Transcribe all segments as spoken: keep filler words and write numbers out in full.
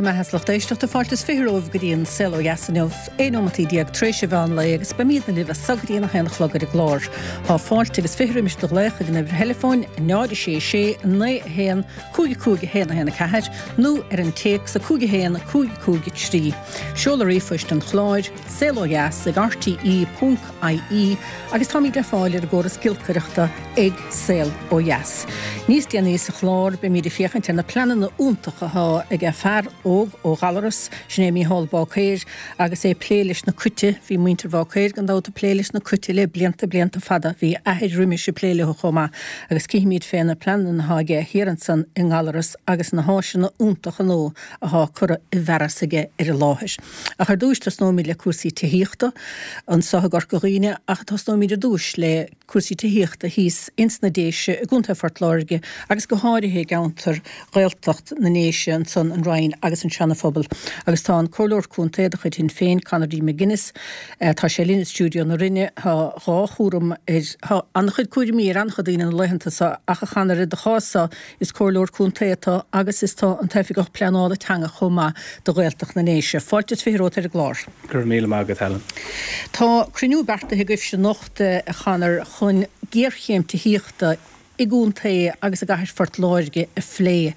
Go raibh maith agat, a lucht éisteachta. Fáilte is fiche romhaibh go dtí an Saol Ó Dheas inniu, aon nóimeataí déag tar éis an mheán lae agus beimidne libh as so go dtí an a haon a chlog ar an gclár. Tá fáilte agus fiche roimis do ghlaoch ag an uimhir theileafóin náid a sé sé naoi a haon cúig a cúig a haon a haon a ceathair nó ar an téacs a cúig a haon cúig cúig a trí. Seoladh ríomhphoist an chláir, saol ó dheas ag R T E ponc I E agus táimid le fáil ar an gcóras giolcaireachta ag Saol Ó Dheas. Níos déanaí sa chlár beimid ag féachaint ar na pleananna iontacha atá ag fear óg ó Ghallaras, sin é Mícheál Báicéir, agus é ag plé leis na cait. Bhí muintir Bháicéir gan dabht ag plé leis na cait le blianta blianta fada, bhí athair roimis ag plé leo chomh maith, agus cífimid fé na pleananna atá aige thiar ansan i nGallaras agus na háiseanna iontacha nua atá curtha i bhfearas aige ar an láthair. Ach ar dtús tosnóimid le cúrsaí tithíochta anseo i gCorca Dhuibhne, ach tosnóimid ar dtús le cúrsaí tithíochta thíos ins na Déise i gContae Phort Láirge agus go háirithe i gceantar Ghaeltacht na nDéise ansan, an Rinn agus an Seanaphobal. Agus tá an Comhairleoir Contae de chuid Shinn Féin, Conor D. McGuinness, tá sé linn i stiúideo na Rinne. Tá dhá chúram ar tá an-chuid cúraimí ar an-chuid daoine na laethanta seo, ach a Chonaire, do chás-sa is comhairleoir contae atá agus is tú an t-oifigeach pleanála teanga chomh maith do Ghaeltacht na nDéise. Fáilte is fiche romhat ar an gclár. Go raibh míle maith agat, Helen. Tá cruinniú beartaithe agaibhse anocht, a Chonair, chun géarchéim tithíochta i gcontae agus i gcathair Phort Láirge a phlé.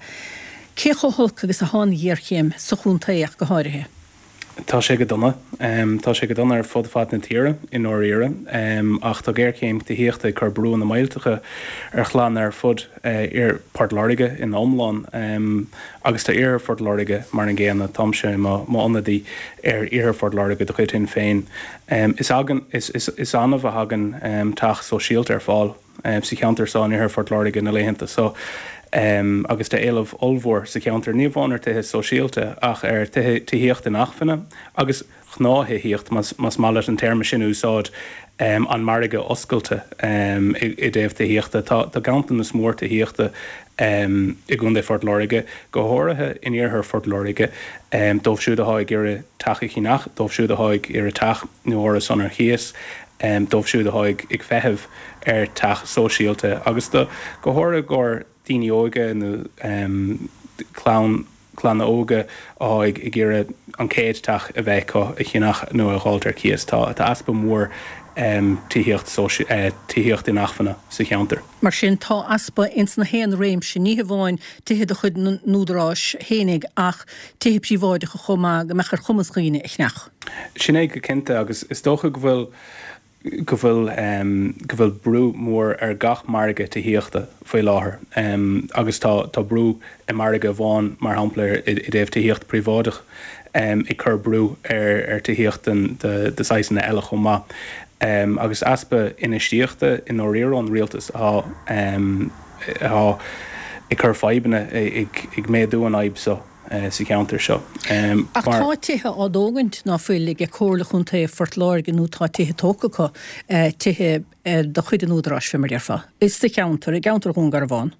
Cé chomh holc agus atá an ghéarchéim sa chontae ach go háirithe? Tá sé go dona. Tá sé go dona ar fud fad na tíre i ndáiríre, ach tá géarchéim tithíochta ag cur brú na millteacha ar chlanna ar fud ar Port Láirge in iomlán, agus tá Iarthar Phort Láirge mar an gcéanna. Táimse m'ionadaí ar Iarthar Phort Láirge de chuid Shinn Féin. Is agan is, is, is annamh a thagann teach sóisialta ar fáil sa cheantar seo in Iarthar Phort Láirge na laethanta so. Um, agus tá éileamh ollmhór sa cheantar ní amháin ar tithe sóisialta ach ar tithíocht inacmhainne agus gnáth-thithíocht, más maith leat an téarma sin úsáid, um, an margadh oscailte um, i, i dtaobh tithíochta. Tá, tá ganntanas mór tithíochta um, i gContae Phort Láirge, go háirithe in iarthar Phort Láirge, um, dóibh siúd atá ag iarraidh teach a cheannach, dóibh siúd atá ag iarraidh teach nó árasán ar chíos, um, dóibh siúd atá ag, ag feitheamh ar teach sóisialta agus do go háirithe gur daoine óga nó um, clann clanna óga atá ag ag iarraidh an chéad teach a bheith acu a cheannach nó a fháil ar cíos. Tá tá easpa mór um, tithíocht uh, tithíocht inacmhainne sa cheantar. Mar sin tá easpa ins na haon réimse, ní hamháin tithe de chuid an údaráis fhéinig ach tithe príobháideacha chomh maith go mbeadh ar chumas daoine a cheannach. Sin é go cinnte, agus is dócha go bhfuil go bhfuil um, go bhfuil brú mór ar gach margadh tithíochta faoi láthair, um, agus tá tá brú i margadh amháin, mar shampla i, i dtaobh tithíocht príobháideach, um, ag cur brú ar ar tithíocht de, de saghsanna eile chomh maith. Um, agus easpa infheistíochta i ndáiríre ón rialtas atá um, atá ag cur fadhbanna ag, ag méadú an fhadhb seo uh, sa cheantar seo. Um, Ach tá tithe á dtógaint, ná fuil, ag Comhairle Chontae Phort Láirge, nó tá tithe tógtha acu, uh, tithe uh, de chuid an údaráis fé mar déarfá. Is sa cheantar i gceantar Dhún Garbhán.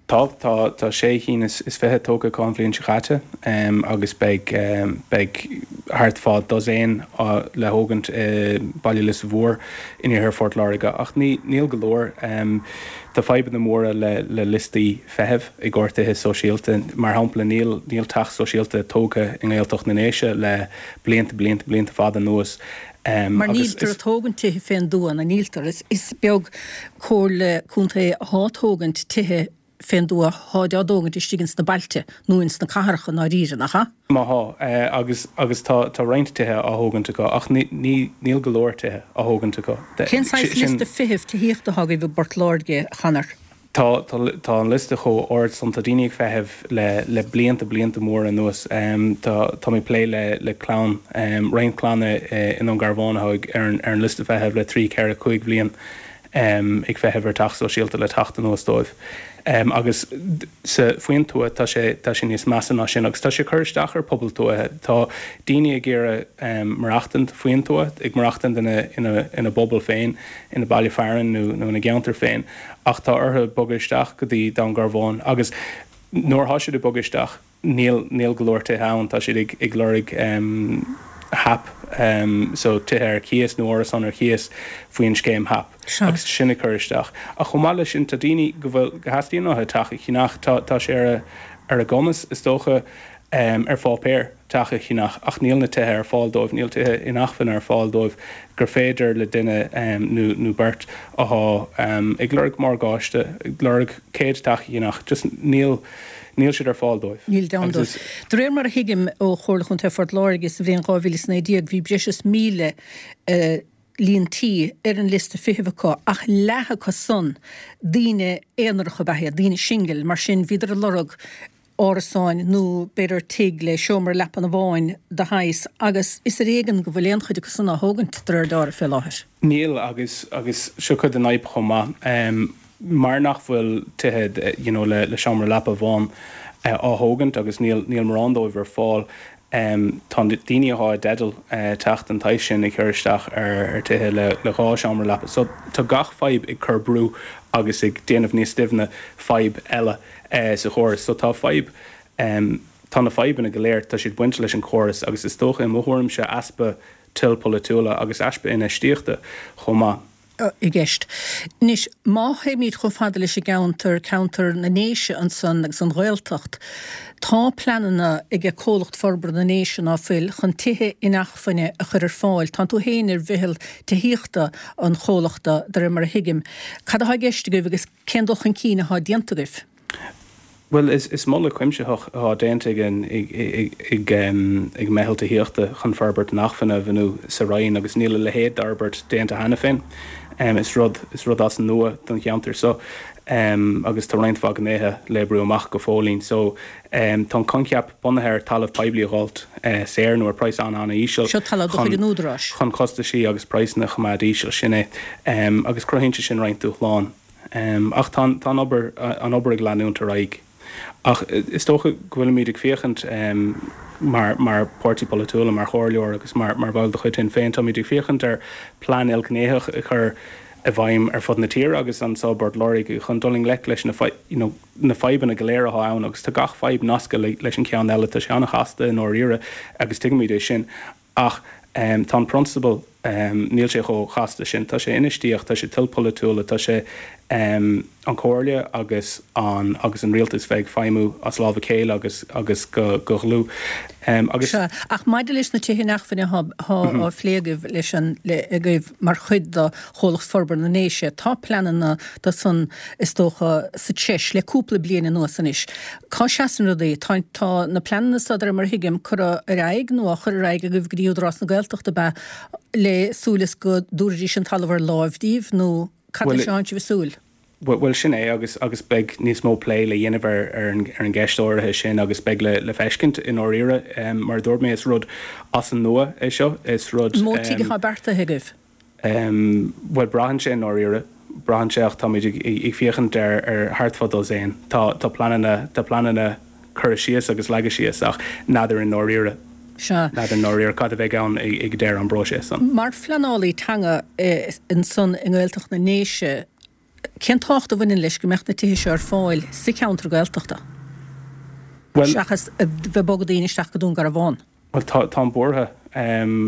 Tá tá tá sé cinn is, is fiche tógtha an bhliain seo caite, um, agus beidh um, beidh thart fá dosaen le thógaint uh, Baile Lios Mhór in iarthar Phort Láirge, ach ní níl go leor. um, Tá fadhbanna móra le, le liostaí feithimh i gcomhair tithe sóisialta. Mar shampla, níl níl teach sóisialta tógtha i nGaeltacht na nDéise le blianta blianta blianta fada anuas. Um, Mar níltar ag tógaint tithe fén dtuath, na níltar is, is beag comhairle contae atá ag tógaint tithe fén dtuath, táid á dtógaint istigh ins na bailte nó ins na cathracha ná ríre nach? Má thá, agus agus tá tá roinnt tithe á thógaint acu, ach ní níl go leor tithe á thógaint acu. Cén saghas liosta feithimh tithíochta atá agaibh i bPort Láirge, a Chonair? Tá tá an liosta chomh hard san, tá daoine ag feitheamh le le blianta blianta móra anuas. um, tá tá mé plé le le clann, um, roinnt clanna uh, i nDún Garbhán ar an ar an liosta feithimh le trí ceithre cúig bhliain, um, ag feitheamh ar teach sóisialta le teacht anuas dóibh. Um, agus sa faoin tuath tá sé tá sé níos measa ná sin, agus tá sé cur isteach ar pobal tuaithe. Tá daoine ag iarraidh um, maireachtaint faoin tuath, ag maireachtaint ina, ina, ina bpobal féin, ina baile fearainn nó, nó ina gceantar féin, ach tá orthu bogadh isteach go dtí Dún Garbhán, agus nuair atá siad ag bogadh isteach níl níl go leor tithe ann. Tá siad ag, ag lorg um, HAP, um, so tithe ar cíos nó árasán ar cíos faoin scéim HAP, agus sin ag cur isteach. Ach chomh maith leis sin, tá daoine go bhfuil go theastaíonn uathu teach a cheannach, tá tá sé ar a ar a gcumas is dócha. ar pháipéar teach a cheannach ach níl na tithe ar fáil dóibh, níl tithe inacmhainne ar fáil dóibh gur féidir le duine nó nó beirt atá ag lorg morgáiste, ag lorg céad teach a cheannach, just níl níl siad ar fáil dóibh. Níl ann dóibh. De réir mar a thuigim ó Chomhairle Chontae Phort Láirge sa bhliain dhá mhíle is naoi déag bhí breis is míle líon tí ar an liosta feithimh acu ach leath acu san daoine aonaracha ab ea iad, daoine singil, mar sin bhíodar ag lorg árasáin nó b'fhéidir tigh le seomra leapan amháin de shaghas agus is ar éigean go bhfuil aon chuid acu san á thógaint de réir dealraimh fé láthair. Níl agus agus seo cuid den fhadhb chomh maith. Mar nach bhfuil tithe you know le le seomra leapa amháin á thógaint agus níl níl mórán dóibh ar fáil, tá daoine atá i dteideal teach den tsaghas sin ag cur isteach ar ar tithe le le dhá seomra leapa. So tá gach fadhb ag cur brú agus ag déanamh níos doimhne fadhb eile sa chóras. So tá fadhb, tá na fadhbanna go léir, tá siad bainte leis an chóras agus is dócha i mo thuairimse easpa toil polaitiúla agus easpa infheistíochta chomh maith. i gceist. Anois, má théimid chomh fada leis an gceantar, ceantar na nDéise ansan agus an Ghaeltacht, tá pleananna ag Comhlacht Forbartha na nDéise, ná fuil, chun tithe inacmhainne a chur ar fáil. Tánn tú féin ar mheitheal tithíochta an chomhlachta, de réir mar a thuigim. Cad atá i gceist agaibh agus cén dul chun cinn atá déanta agaibh? Bhuel, is is moladh cuimsitheach atá déanta ag an ag ag ag meitheal tithíochta chun forbairt inacmhainne a bhunú sa Rinn agus níl a leithéid d'fhorbairt déanta cheana féin. Is rud is rud as an nua don cheantar seo agus tá roinnt mhaith gnéithe le oibriú amach go fóillín. So tá an coincheap bunaithe ar talamh poiblí a dh'fháilt saor nó ar praghas an-an-íseal Seo talamh de chuid an Údaráis. chun costaisí agus praghsanna a choimeád íseal, sin é. Agus cruthaíonn sé sin roinnt dúshlán. Ach tá tá an obair an obair ag leanúint ar aghaidh. Ach is dócha go bhfuilimid ag féachaint mar mar páirtí polaitiúil, mar chomhairleoir agus mar mar bhall de chuid Shinn Féin, táimid ag féachaint ar plean ilghnéitheach a chur i bhfeidhm ar fud na tíre agus anseo i bPort Láirge chun dul i ngleic leis na you know na fadhbanna go léir atá ann agus tá gach fadhb nasctha leis an ceann eile. Tá sé an-chasta i ndáiríre agus tuigimid é sin. Ach tá an prionsabal, níl sé chomh chasta sin. Tá sé infheistíocht, tá sé toil polaitiúla, tá sé an Chomhairle agus an agus an rialtas bheith ag feidhmiú as lámh a chéile agus agus go go dhlúth. Agus. Sea, ach maidir leis na tithe inacmhainne atá á phlé agaibh leis an le agaibh mar chuid de Chomhlacht Forbartha na nDéise, tá pleananna do san is dócha sa treis le cúpla bliain anuas anois. Cá seasann rudaí? Tá tá na pleananna so de réir mar a thuigim curtha ar aghaidh nó á chur ar aghaidh agaibh go dtí Údarás na Gaeltachta ab ea le súil is go dtabharfaidís an talamh ar láimh daoibh nó cad leis atánn sibh ag súil? Bhuel sin é agus agus beidh níos mó plé le dhéanamh ar ar an ar an gceist áirithe sin agus beidh le le feiscint i ndáiríre. Mar a dúirt mé is rud as an nua é seo, is rud. An mó tigh atá beartaithe agaibh? Bhuel braitheann sé i ndáiríre, braitheann sé ach táimid ag ag féachaint ar ar thart fá dosaen. Tá tá pleananna tá pleananna curtha síos agus leagtha síos ach n'fheadar i ndáiríre. Sea. N'fheadar i ndáiríre cad a bheidh ann ag ag deireadh an bpróiseas san. Mar phleanálaí teanga ansan i nGaeltacht na nDéise, cén tábhacht a bhaineann leis go mbeadh na tithe seo ar fáil sa cheantar Gaeltachta Bhuel. seachas a bheith ag bogadh daoine isteach go Dún Garbhán? Bhuel, tá, táim buartha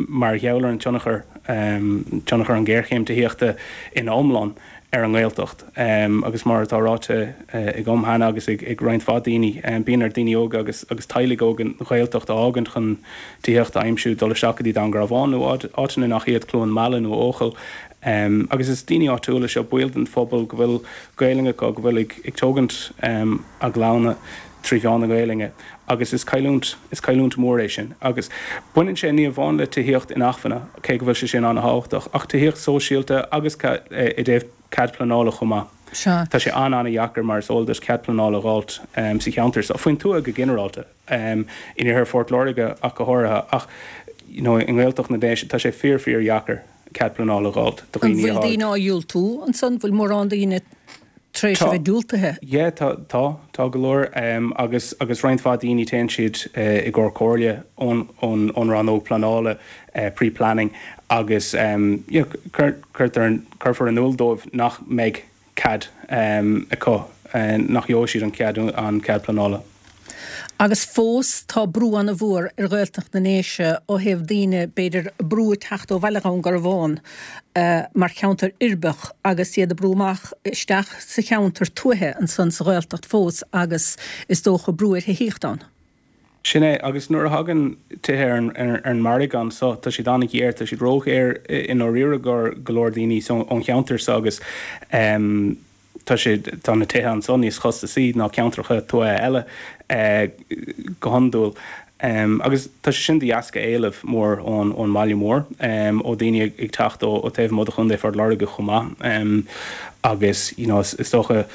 mar gheall ar an tionchar, tionchar an ghéarchéim tithíochta ina iomlán ar an nGaeltacht. Agus mar atá ráite agam cheana agus ag roinnt mhaith daoine, bíonn ar daoine óga agus agus teaghlaigh óga an Ghaeltacht a fhágaint chun tithíocht a aimsiú, dul isteach go dtí Dún Garbhán nó áiteanna nach iad, Cluain Meala nó Eochaill. Agus is daoine áitiúla seo, baill den phobal go bhfuil Gaelainn acu, go bhfuil ag tógaint a gclanna trí mheán na Gaelainne agus is cailliúint, is cailliúint mhór é sin. Agus baineann sé ní amháin le tithíocht inacmhainne, cé go bhfuil sé sin an-thábhachtach, ach tithíocht sóisialta agus i dtaobh cead pleanála chomh maith. Sea. Tá sé an-an-dheacair, mar is eol duit, cead pleanála a dh'fháilt sa cheantar seo, faoin tuath go ginearálta, in iarthar Phort Láirge ach go háirithe, ach you know i nGaeltacht na nDéise tá sé fíor fíor-dheacair cead pleanála a dh'fháilt do An dhaoine bhfuil atá ag. daoine á dhiúltú ansan? Bhfuil mórán daoine tar éis a Tá. bheith diúltaithe? Yeah, tá, tá, tá go leor agus, agus roinnt mhaith daoine téann siad i gcomhair comhairle ón, ón, ón rannóg pleanála, pre-planning agus you know cuir, cuirtear, cuirfear in iúl dóibh nach mbeidh cead acu, nach gheobhaidh siad an cead, an cead pleanála. Agus fós tá brú an-mhór ar Ghaeltacht na nDéise ó thaobh daoine, b'fhéidir, brú ag teacht ó bhaile Dhún Garbhán mar cheantar uirbeach agus iad ag brú amach isteach sa cheantar tuaithe ansan sa Ghaeltacht fós agus is dócha brú ar thithíocht ann. Sin é, agus nuair a thagann tithe ar an margadh anso, tá siad an-ghéar, tá siad róghéar i ndáiríre do go leor daoine ón cheantar seo agus tá siad, tá na tithe anso níos costasaí ná ceantracha tuaithe eile go hiondúil. Agus tá sé sin de dheasca éileamh mór ón ón mbaile mór, ó daoine ag teacht ó taobh amuigh de Chontae Phort Láirge chomh maith agus you know is dócha,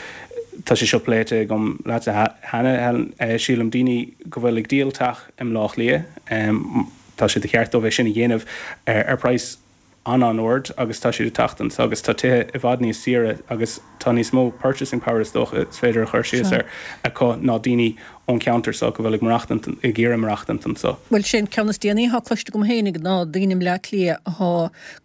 Tá sé seo pléite agam leatsa cheana, Helen. Sílim, daoine go bhfuil ag díol teach i mBleá Cliath, tá sé de cheart dóibh é sin a dhéanamh ar praghas an-an-ard agus tá siad ag teacht anso agus tá tithe i bhfad níos saoire agus tá níos mó purchasing power is dócha is féidir a chur síos air acu ná daoine ón cheantar seo go bhfuil ag maireachtaint, ag iarraidh maireachtaint anso. Bhuel, sé an ceann is déanaí atá cloiste agam féinig ná daoine i mBleá Cliath athá,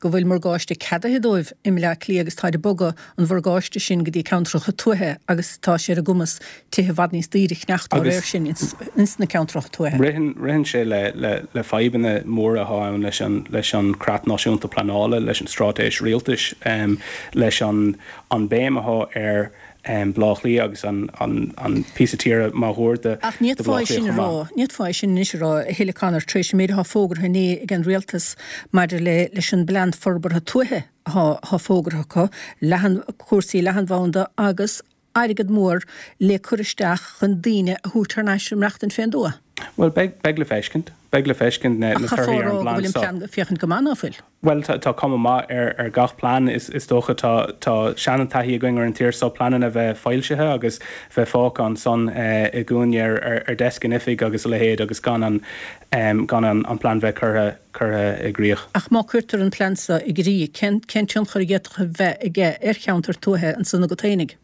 go bhfuil morgáiste ceadaithe dóibh i mBleá Cliath agus táid ag bogadh an mhorgáiste sin go dtí ceantracha tuaithe agus tá sé ar a gcumas tithe i bhfad níos daoire a cheannacht dá réir sin ins na ceantracha tuaithe. Ritheann, ritheann sé le, le, le fadhbanna móra athá ann leis an, leis an Creat Náisiúnta Pleanála, leis an Straitéis Rialtais, leis an, an béim athá ar Bleá Cliath agus an, an, an píosa tíre máguaird de, Ach ní de Bhleá fhéadfá é Cliath sin a chomh rá, maith. ní fhéadfá é sin anois a rá, a thuilleadh Conor, tar éis an méid athá fógartha inné ag an Rialtas maidir le, leis an bPlean Forbartha Tuaithe. Atá fógartha acu, leathan, cúrsaí leathanbhanda agus airgead mór le cur isteach chun daoine a thabhairt thar n-ais ag maireachtaint fén dtuath. Bhuel, beidh, beidh le feiscint. Beidh le feiscint na, Ach na chaithfeá torthaí a ar rá an go bplean bhfuil an seo. plean ag féachaint go maith, ná fuil? Bhuel, tá, tá cuma maith ar, ar gach plean, is, is dócha. Tá, tá seantaithí againn ar an tír seo pleananna bheith foilsithe agus bheith fágtha ansan i gcúinne ar, ar, ar deasc in oifig agus a leithéid agus gan an, gan an, an plean bheith curtha, curtha i gcrích. Ach má cuirtear an plean seo i gcrích, cén, cén tionchar a d'fhéadfadh a bheith aige ar cheantar tuaithe ansan agat fhéinig?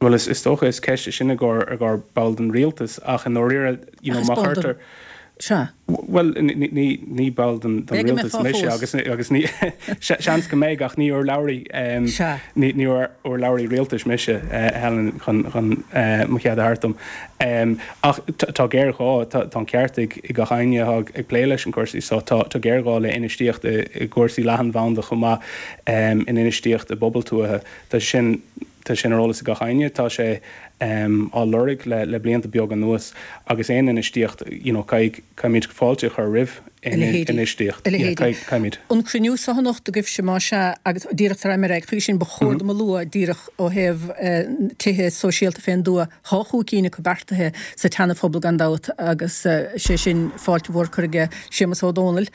Bhuel, is, is dócha is ceist é sin i gcomhair, i gcomhair ball den rialtas ach i ndáiríre, you Ach know, is má ball den, chuirtear, sea. Bhuel, ní, ní, ní ball den, den B'fhéidir go rialtas mbeifeá mise fós. agus, agus ní, seans go mbeidh ach ní urlabhraí, Sea. ní, ní urlabhraí rialtais mise, Helen, chun, chun mo chead a thabhairt dom. Ach tá géarghá, tá, tá an ceart ag, ag gach éinne atá ag plé leis an cúrsaí seo, tá, tá géarghá le infheistíocht i, i gcúrsaí leathanbhanda chomh maith, in infheistíocht i bpobail tuaithe. Tá sin, Tá sin ar eolas ag gach éinne. Tá sé á lorg le blianta beaga anuas agus aon infheistíocht, you know, caithfidh, caithfimid fáilte a chur roimh A leithéidí. infheistíocht. A Yeah, leithéidí. caithfidh, caithfimid. An cruinniú seo anocht agaibhse, más ea, agus díreach tar éis ar aghaidh chuige sin, ba chóir dom a lua díreach ó thaobh tithe sóisialta fén dtuath, thá chúig cinn acu beartaithe sa tSeana-Phobal gan dabht agus sé sin fáilte mhór curtha aige Séamus Ó Dónaill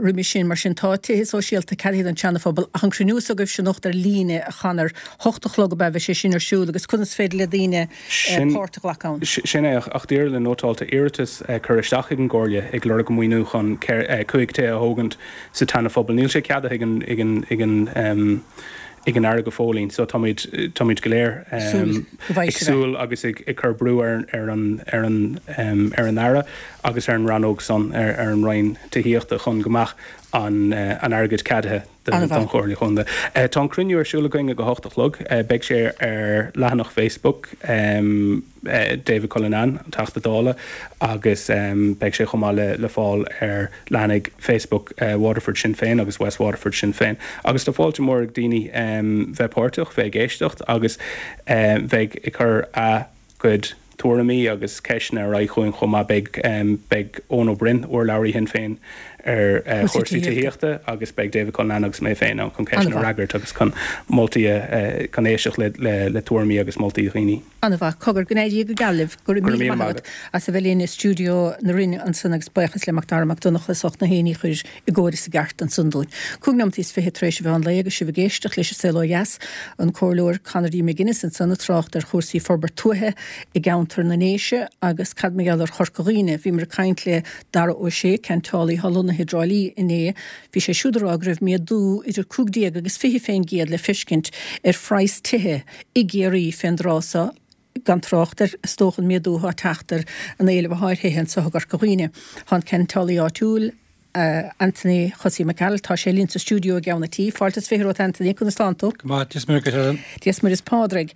roimis sin. Mar sin tá tithe sóisialta ceadaithe don tSeana-Phobal ach an cruinniú seo agaibhse anocht ar líne, a Chonor, hocht a chlog ab ea, bheidh sé sin ar siúl agus conas féidir le daoine Sin páirt a ghlacadh ann? Sin é, ach díreach le nótáil, tá iarratas curtha isteach ag an gComhairle ag lorg maoiniú chun cúig tithe a thógaint sa tSeana-Phobal. Níl sé ceadaithe ag an ag an ag an ag an Aire go fóillín so táimid táimid go léir Súil go ag bhfaighidh sibh é. súil agus ag ag cur brú ar ar an ar an ar an Aire agus ar an rannóg san ar ar an Roinn Tithíochta chun go mbeadh an an airgead ceadaithe don An-mhaith. Chomhairle Chontae. Tá an cruinniú ar siúl againn ag a hocht a chlog. Beidh sé ar leathanach Facebook David Cullinane, an Teachta Dála, agus beidh sé chomh maith le le fáil ar leathanaigh Facebook Waterford Sinn Féin agus West Waterford Sinn Féin. Agus tá fáilte mór ag daoine bheith páirteach, bheith ag éisteacht agus bheith ag cur a gcuid tuairimí agus ceisteanna ar aghaidh chugainn chomh maith. Beidh beidh Eoin Ó Broin, urlabhraí Shinn Féin ar Cúrsaí chúrsaí tithíochta. tithíochta agus beidh David Cullinane agus mé féin ann chun ceisteanna a An-mhaith. fhreagairt agus chun moltaí a chun éisteacht le le le tuairimí agus moltaí dhaoine. An-mhaith. Cogar, go n-éirí go geal libh. Go raibh Go raibh míle míle maith maith agat agat. as a bheith linn i stiúideo na Rinne ansan agus buíochas le Mac Dara Mac Donncha as ucht na héinní a chur i gcóir is i gceart ansan dúinn. Cúig nóimeataí is fiche tar éis a mheán lae agus sibh ag éisteacht leis an Saol Ó Dheas, an Comhairleoir Conor D. McGuinness ansan ag trácht ar chúrsaí forbairt tuaithe i gceantar na nDéise agus cad mar gheall ar Chorca Dhuibhne. Bhíomar ag caint le Dara Ó Sé, ceantálaí atá lonnaithe i dTrá Lí inné. Bhí sé siúd ag rá go raibh méadú idir cúig déag agus fiche fén gcéad le feiscint ar phraghas tithe i gCiarraí fén dtráth seo, gan trácht ar, is dócha, an méadú atá ag teacht ar an éileamh atá ar thithe anseo i gCorca Dhuibhne. Tá an ceantálaí áitiúil, Anthony Chosaí Mac Gearailt, tá sé linn sa stiúideo i gceann an tí. Fáilte is fiche romhat Anthony, conas tánn tú? Go maith, Dia is Muire dhuit Helen. Dia is Muire is Pádraig.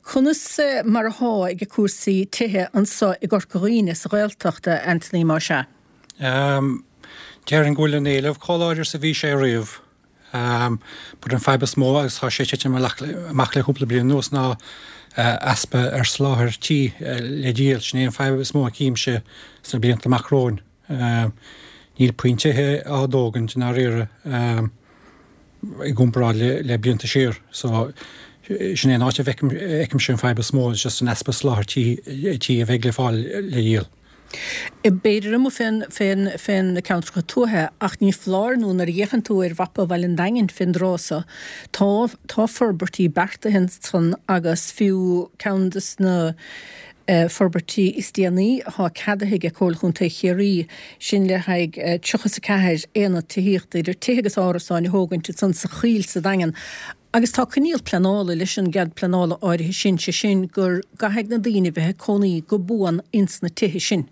Conas mar athá ag cúrsaí tithe anso i gCorca Dhuibhne sa Ghaeltacht, Anthony, más ea? Déarfainn go bhfuil an éileamh chomh láidir is a bhí sé riamh. But an fadhb is mó agus tá sé ag titim amach le cúpla bliain anuas ná easpa ar soláthar tí le díol. Sin é an fadhb is mó a chímse sna blianta amach romhainn. Níl puinn tithe á dtógaint i ndáiríre i gcomparáid le le blianta siar. So sin é an áit a bhfeicimse an fadhb is mó, just an easpa soláthar tí tí a bheidh le fáil le dhíol. B'fhéidir amuigh fén fén fén na ceantracha tuaithe ach ní foláir nó nuair a fhéachann tú ar mhapa Bhaile an Daingin fén dtráth so tá tá forbairtí beartaithe ansan agus fiú ceann des na forbairtí is déanaí atá ceadaithe ag Comhairle Chontae Chiarraí, sin le haghaidh tríocha is a ceathair aonad tithíochta idir tithe agus árasáin a thógaint ansan sa Choill sa Daingean. Agus tá coinníoll pleanála leis an gcead pleanála áirithe sin, sé sin gur gcaithfidh na daoine bheith ag cónaí go buan ins na tithe sin.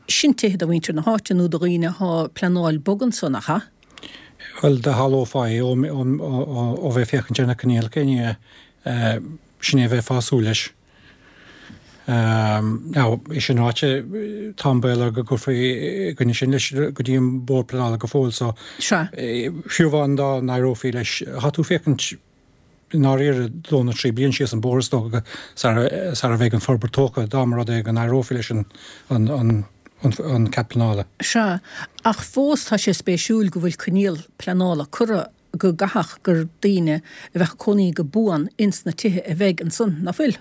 Sin tithe do mhuintir na háite nó do dhaoine athá pleanáil bogadh anso, nach ea? Bhuel, do shamhlófá é ó bheith ag féachaint ar na coinníollacha, ní hea? Sin é a bheifeá ag súil leis. Now, é sin ráite, tá an baol go gcuirfí i gcoinne sin leis go dtí an Bord Pleanála go fóill so Sea. fiú amháin dá n-éireofaí leis, tá tú ag féachaint i ndáiríre dó nó trí bliain síos an bóthar is dócha sara bheidh an forbairt tógtha, dá mba rud é go n-éireofaí leis an an an cead pleanála. Sea, ach fós tá sé spéisiúil go bhfuil coinníoll pleanála curtha go gcaithfeadh gur daoine a bheadh ag cónaí go buan ins na tithe a bheidh ansan, ná fuil?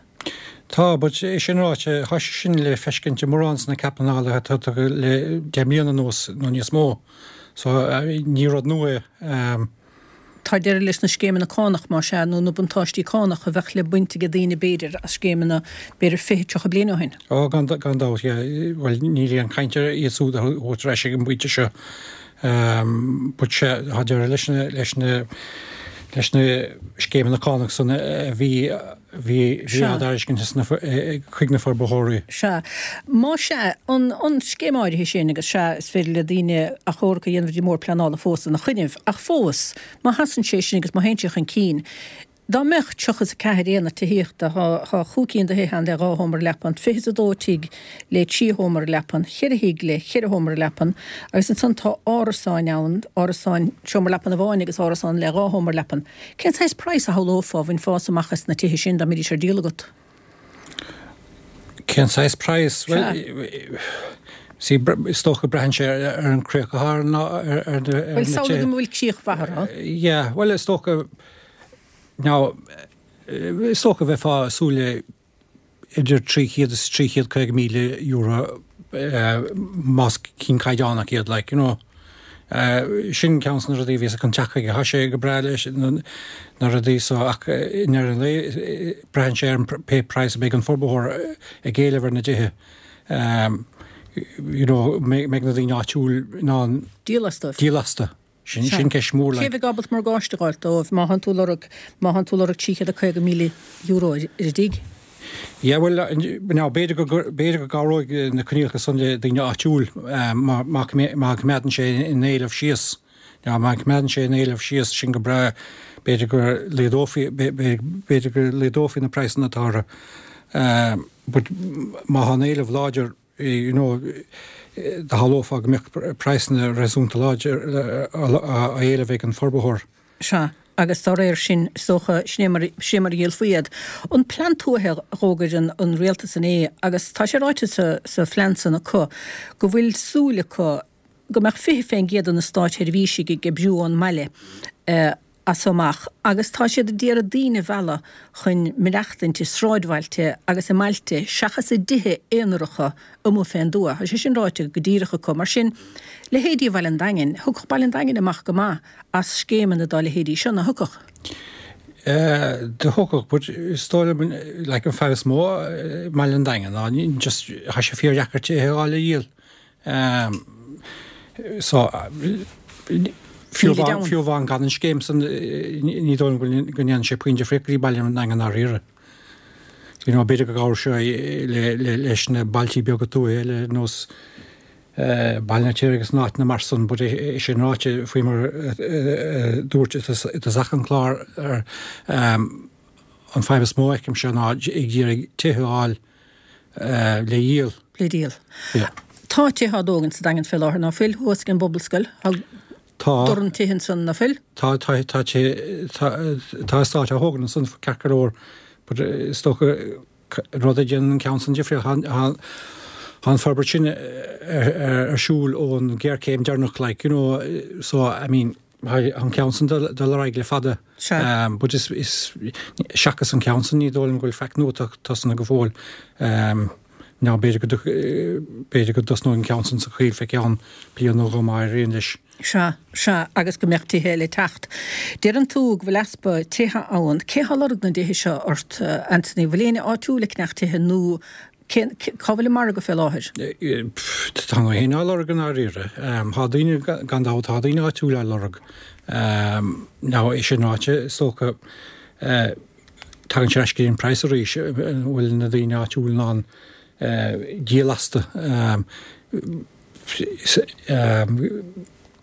Tá, but é sin ráite, tá sé sin le feiscint i mórán de na cead pleanála atá tugtha le deich mbliana anuas nó níos mó. So, ní rud nua é. Tá deireadh leis na scéimeanna cánach, más ea, nó na buntáistí cánach a bheadh le baint ag daoine, b'fhéidir, as scéimeanna b'fhéidir fiche, tríocha bliain ó shin. Ó, gan gan dabht, yeah. Bhuel, níl aon chaint ar iad súd a thabhairt ar ais ag an bpointe seo. But sea, tá deireadh leis na leis na leis na scéimeanna cánach san a bhí bhí bhí á dtairiscint chuig na forbarthóirí. Sea. Más ea, an an scéim áirithe sin, agus sea, is féidir le daoine achomharc a dhéanamh go dtí an mBord Pleanála fós ina choinnibh, ach fós, má sheasann sé sin agus má théann sé chun cinn, dá mbeadh tríocha is a ceathair aonad tithíochta, thá thá chúig cinn de thithe ann le dhá sheomra leapan, fiche is a dó tigh le trí sheomra leapan, cheithre thigh le cheithre sheomra leapan, agus ansan tá árasáin ann, árasáin seomra leapan amháin agus árasán le dhá sheomra leapan. Cén saghas praghas a shamhlófá a bhainfeá amach as na tithe sin dá mbeidís ar díol agat? Cén saghas praghas? Bhuel, see, is dócha braitheann sé ar an críoch atá ar na ar na Bhuel, samhlaigh go bhfuil críoch mhaith orthu. Yeah, bhuel, is dócha Now, is dócha bheifeá ag súil le idir trí chéad is trí chéad caoga míle euro más cinn caighdeánach iad, like, you know. Sin ceann de na rudaí a bhíos chun teacht chuige. Tá sé go breá leis na rudaí so ach i ndeireadh an lae braitheann sé ar an pé praghas a bheidh an forbarthóir ag éileamh ar na dtithe. You know, mbeidh na daoine áitiúil in ann díol astu. Díol astu. Sin sin ceist mhór like. Cé bheadh ábalta morgáiste a fháilt dóibh má thánn tú ag lorg má thánn tú ag lorg trí chéad a caoga míle euro ar an dtigh? Yeah bhuel now b'fhéidir go b'fhéidir go gcabhróidh na coinníollacha san le daoine áitiúil má má má choimeádann sé an éileamh síos. Now má choimeádann sé an éileamh síos sin go breá b'fhéidir go laghdófaí b'fhéidir go laghdófaí na praghsanna atá orthu. But má tá an éileamh láidir you know, do shamhlófá go mbeadh praghsanna réasúnta láidir á éileamh ag an forbarthóir. Sea, agus dá réir sin, is dócha, sin é mar, sin é mar a dhíolfaí iad. An plean tuaithe a dh'fhógair an, an rialtas inné, agus tá sé ráite sa, sa phlean san acu go bhfuil súil acu go mbeadh fiche fén gcéad de na státsheirbhísigh ag oibriú ón mbaile, as so amach agus tá siad a d'iarraidh daoine a mhealladh chun maireachtaint i sráidbhailte agus i mbailte seachas i dtithe aonaracha amuigh fén dtuath. Tá sé sin ráite go díreach acu. Mar sin, leithéidí Bhaile an Daingin, thiocfadh Baile an Daingin amach go maith as scéimeanna dá leithéidí seo, nach thiocfadh? Do thiocfadh, but is dóigh liom, like, an fadhb is mó i mBaile an Daingin ná just, tá sé fíordheacair tithe a fháil le dhíol. So, fiú amháin gan an scéim san, ní dóigh liom go ndéanann sé puinn difríocht go dtí Baile an Daingin i ndáiríre. You know, b'fhéidir go gcabhródh sé leis na bailtí beaga tuaithe eile ar nós Baile an Fheirtéaraigh agus na áiteanna mar san, but é sin ráite, faoi mar a dúirt i dtosach an chláir, an fadhb is mó a fheicimse ná ag iarraidh tithe a fháil le dhíol. Le díol. Tá tithe á dtógaint sa Daingean fé láthair, ná fuil? Thuas ag an bPobalscoil. Tá Tá. Dorn tithe ansan, ná fuil? Tá, tá, tá, tá, tá eastáit á thógaint ansan ceart go leor, but is dócha rud a dhéanann an ceann san difríocht, tá an forbairt sin ar siúl ón ghéarchéim deireanach, like, you know, so, I mean, tá an ceann san dul ar aghaidh le fada. Sea. But is, is, seachas an ceann san ní dóigh liom go bhfuil faic nua tosnaithe go fóill. Ná b'fhéidir go, b'fhéidir go dtosnóidh an ceann san sa choill fé cheann bliain nó dhó má éiríonn leis. Sea, sea, agus go mbeadh tithe eile ag teacht. Deireann tú go bhfuil easpa tithe ann. Cé thá lorg na dtithe seo ort, Anthony? Bhfuil éinne áitiúil ag ceannach tithe nó cén, cá bhfuil an margadh fé láthair? Tá gach éinne á lorg i ndáiríre. Tá daoine, gan dabht, tá daoine áitiúil á lorg. Now, é sin ráite, is dócha, tagann sé ar ais go dtí an praghas arís, an bhfuil na daoine áitiúil in ann díol astu.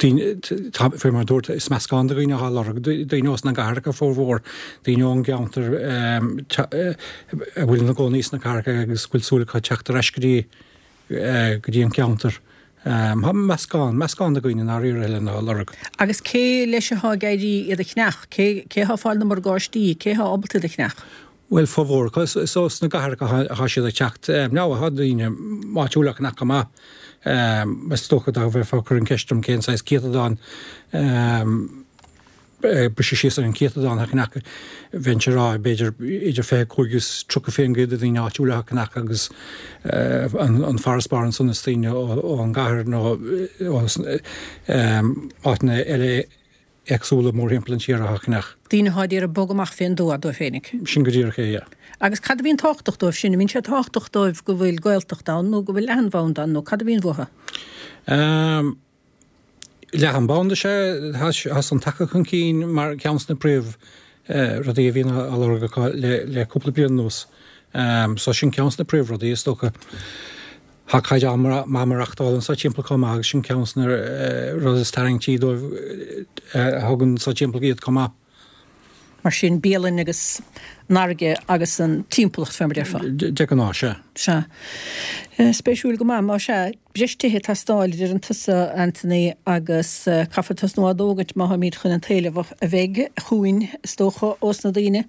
Faoi mar a dúirt, is meascán de dhaoine atá á lorg, daoine ós na gcathracha formhór, daoine ón gceantar a bhfuil ina gcónaí sna cathracha agus go bhfuil súil acu teacht ar ais go dtí go dtí an ceantar. Tá meascán, meascán de dhaoine i ndáiríre, Helen, atá á lorg. Agus cé leis atá ag éirí iad a cheannach? Cé atá ag fáil na morgáistí? Cé atá ábalta iad a cheannach? Bhuel, formhór acu, is ós na gcathracha atá siad ag teacht. Now, tá daoine áitiúla á gceannach chomh maith. Is dócha dá mbeifeá ag cur an cheist orm cén saghas céatadán, briseadh síos ar an chéatadán atá á gceannach, bheinnse ag rá b'fhéidir idir fiche a cúig agus tríocha faoin gcéad de dhaoine áitiúla atá á gceannach agus an farasbarr ansan is daoine ón gcathair nó ó áiteanna eile éagsúla mórthimpeall an tíre atá á gceannach. Daoine atá ag iarraidh bogadh amach fén dtuath dóibh féinig. Sin go díreach é, yeah. Agus cad a bhíonn tábhachtach dóibh sin? An mbíonn sé tábhachtach dóibh go bhfuil Gaeltacht ann nó go bhfuil leathanbhanda ann nó cad a bhíonn uathu? Ehm, leathanbhanda is ea, tá san tagtha chun cinn mar ceann de na príomh rudaí a bhíonn á lorg acu le le cúpla bliain anuas. Ehm, so sin ceann de na príomhrudaí is dócha. Tá caighdeán maith maireachtála anso timpeall chomh maith agus sin ceann de na rudaí is tarraingtí dóibh a thugann anso timpeall iad chomh maith. Mar sin, bialann agus an fharraige agus an timpeallacht fé mar a déarfá. De ghnáth, sea. Sea. Spéisiúil go maith, más ea. Breis tithe ag teastáil, a deireann tusa, Anthony, agus caithfear tosnú á dtógaint má tháimid chun an t-éileamh a bheidh chugainn, is dócha, ós na daoine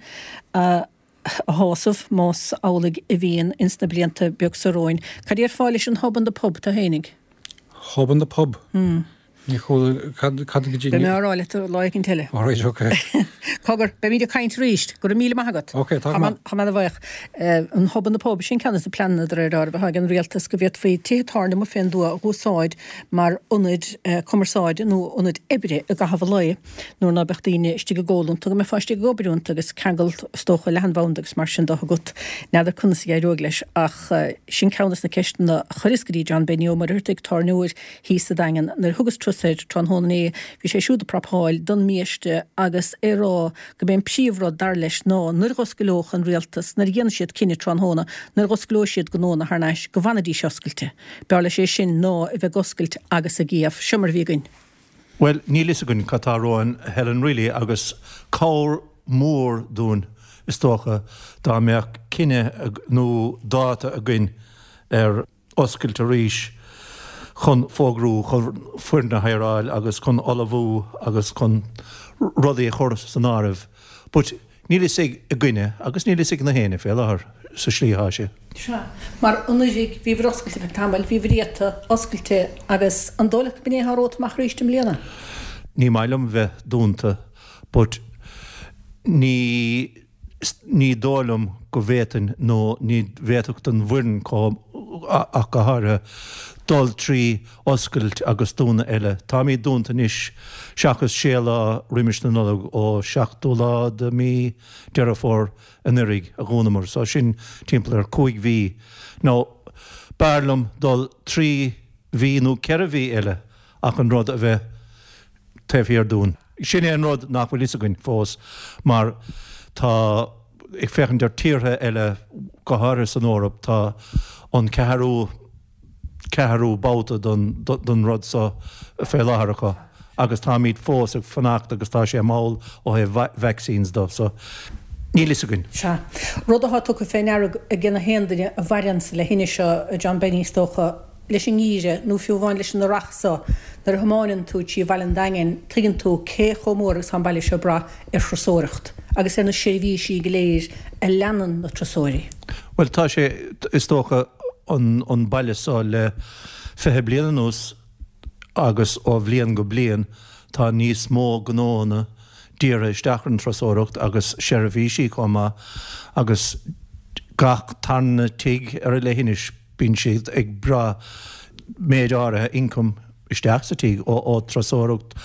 a a shásamh, más amhlaidh a bhíonn ins na blianta beag so romhainn. Cad déarfá leis an Hub and the Pub, tú fhéinig? Hub and the Pub? Hmm. Ní chuala, cad, cad go dtí... Beidh mé á rá leat lá éicint eile. All right, ok. Cogar, beimid ag caint arís. Go raibh míle maith agat. Ok, tá go maith. Tá mé ana-bhuíoch. An Hub and the Pub, sin ceann de na pleananna de réir dealraimh atá ag an rialtas go bhféadfaí tithe tábhairne amuigh fén dtuath a dh'úsáid mar ionaid cumarsáide nó ionaid oibre i gcaitheamh an lae. Nuair ná beadh daoine istigh ag ól iontu, go mbeifeá istigh ag obair iontu agus ceangal, is dócha, leathanbhanda agus mar sin de agat. N'fheadar conas a d'éireoidh leis ach sin ceann des na ceisteanna a chuireas go dtí John Benny Ó Muircheartaigh, tábhairneoir thíos sa Daingean. Nuair a thugas turas air tráthnóna inné bhí sé siúd ag prapáil don mbiaiste agus é ag rá go b'é an príomhrud dar leis ná nuair a dh'oscaileodh an rialtas, nuair a dhéanfaidh siad cinneadh tráthnóna, nuair a dh'oscaileoidh siad gnónna thar n-ais, go bhfanfaidís oscailte. B'fhearr leis é sin ná a bheith ag oscailt agus ag iamh. Seo mar a bhí againn. Bhuel, níl fhios againn cad tá romhainn, Helen, really, agus cabhair mhór dúinn, is dócha, dá mbeadh cinneadh nó dáta againn ar oscailt arís chun fógrú, chun foireann a hireáil agus chun ullmhú agus chun rudaí a chur san áireamh. But níl fhios againne agus níl fhios ag na héinne fé láthair sa slí atá sé. Sea. Mar anuraidh bhíobhair oscailte ar feadh tamaill, bhíobhair iata oscailte agus an dóigh leat go b'in é atá romhat amach arís i mbliana? Ní maith liom bheith dúnta but ní ní dóigh liom go bhféadfainn nó ní bhféadfadh don bhfoireann ach go háirithe dul trí oscailt agus dúnadh eile. Táimid dúnta anois seachas sé lá roimis na Nollag ó seachtú lá de mí Deireadh Fómhair anuraidh a dhúnamar so sin timpeall ar cúig mhí. Now b'fhearr liom dul trí mhí nó ceithre mhí eile ach an rud a bheith taobh thiar dúinn. Sin é an rud nach bhfuil fhios againn fós mar tá, ag féachaint ar tíortha eile, go háirithe san Eoraip, tá an ceathrú, ceathrú babhta den rud so fé láthair acu agus táimid fós ag fanacht agus tá sé mall ó thaobh vaccines de so níl fhios againn. Sea. Rud atá tugtha fé ndeara ag na haon duine a mhaireanns le thine seo, John Benny is dócha, leis an ngeimhreadh nó fiú amháin leis an earrach so, nuair a thiomáineann tú trí Bhaile an Daingin, tuigeann tú cé chomh mór agus tá an baile seo ag brath ar thurasóireacht agus ar na seirbhísí go léir a leanann na turasóirí. Bhuel, tá sé, is dócha, an an baile so le fiche bliain anuas agus ó bhliain go bliain tá níos mó gnóanna dírithe isteach ar an turasóireacht agus seirbhísí chomh maith agus gach tarna tigh ar an leithinis bíonn siad ag brath méid áirithe income isteach sa tigh ó ó turasóireacht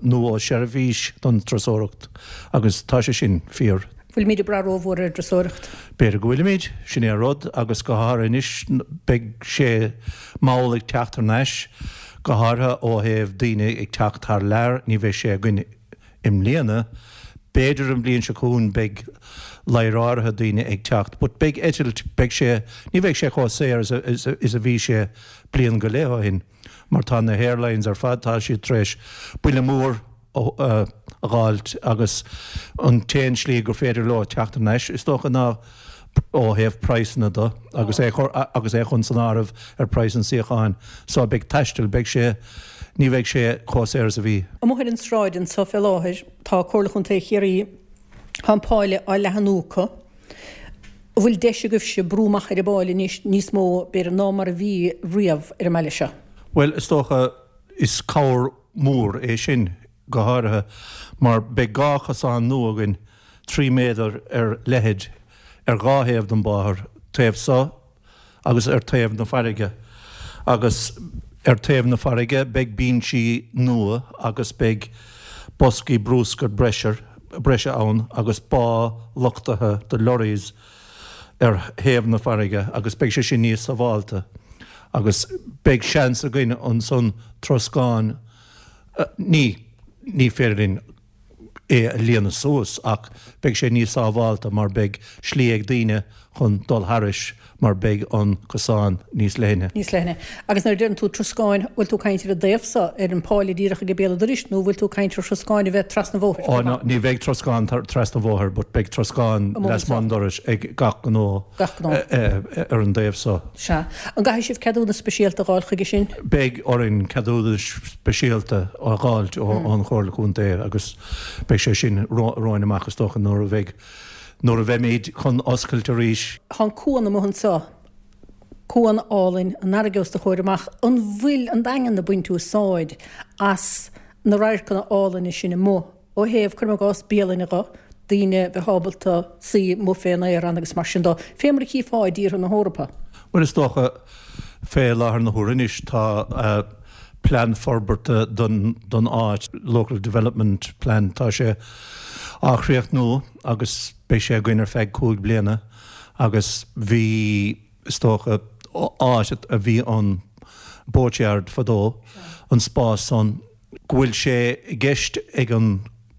nó ó seirbhís don turasóireacht agus tá sé sin fíor. Bhfuilimid ag brath rómhór ar an dturasóireacht? B'fhéidir go bhfuilimid, sin é an rud, agus go háirithe anois beidh sé mall ag teacht thar n-ais, go háirithe ó thaobh daoine ag teacht thar lear, ní bheidh sé againn i mbliana, b'fhéidir an bhliain seo chugainn beidh lear áirithe daoine ag teacht, but beidh eitilt, beidh sé, ní bheidh sé chomh saor is a, is a bhí sé bliain go leith ó shin, mar tá na hairlines ar fad, tá siad tar éis buille mór a dh'fháilt agus an t-aon slí gur féidir leo teacht thar n-ais, is dócha, ná ó thaobh praghsanna de agus é agus é chun san áireamh ar praghas an suíocháin. So beidh taisteal, beidh sé, ní bheidh sé chomh saor is a bhí. Amuigh ar an sráid anso fé láthair tá Comhairle Chontae Chiarraí, tá an Páile á leathanú acu. An bhfuil deis agaibhse brú amach ar an bPáil anois níos mó, b'fhéidir, ná mar a bhí riamh ar an mbaile seo? Bhuel, is dócha, is cabhair mhór é sin, go háirithe mar beidh dhá chosán nua againn, trí méadar ar leithead, ar dhá thaobh den bhóthar, taobh so agus ar taobh na farraige. Agus ar taobh na farraige beidh binsí nua agus beidh boscaí brúscair breise breise ann agus bá luchtaithe do lorries ar thaobh na farraige agus beidh sé sin níos sábháilte agus beidh seans againn ansan troscán ní ní féidir linn é a líonadh suas ach beidh sé níos sábháilte mar beidh slí ag daoine chun dul thairis mar beidh an cosán níos leithne. Níos leithne. Agus nuair a deireann tú troscáin, bhfuil tú ag caint ar an dtaobh so, ar an Pháile díreach ag béal an dorais nó bhfuil tú ag caint ar throscáin a bheith trasna an bhóthair? Ó no, ní bheidh troscán trasna an bhóthair but beidh troscán lasmuigh an dorais ag gach gnó. Gach gnó. Ar an dtaobh so. Sea. An gcaithfidh sibh ceadúnas speisialta a dh'fháil chuige sin? Beidh orainn ceadúnais speisialta a dh'fháilt ón Chomhairle Contae agus beidh sé sin romhainn amach is dócha nuair a bheidh, nuair a bheimid chun oscailt arís. Tá an cuan amuigh anseo, cuan álainn, an fharraige os do chomhair amach. An bhfuil an Daingean ag baint úsáid as na radharcanna álainne sin amuigh ó thaobh, cuirim i gcás, bialainne dho, daoine bheith ábalta suí amuigh fén aer ann agus mar sin dó, fé mar a chífeá i dtíortha na hEorpa? Bhuel, is dócha, fé láthair na huaire anois, tá plean forbartha don don áit, Local Development Plan, tá sé á chríochnú agus beidh sé againn ar feadh cúig bliana agus bhí, is dócha, áit a bhí an boatyard fadó, an spás san, go bhfuil sé i gceist ag an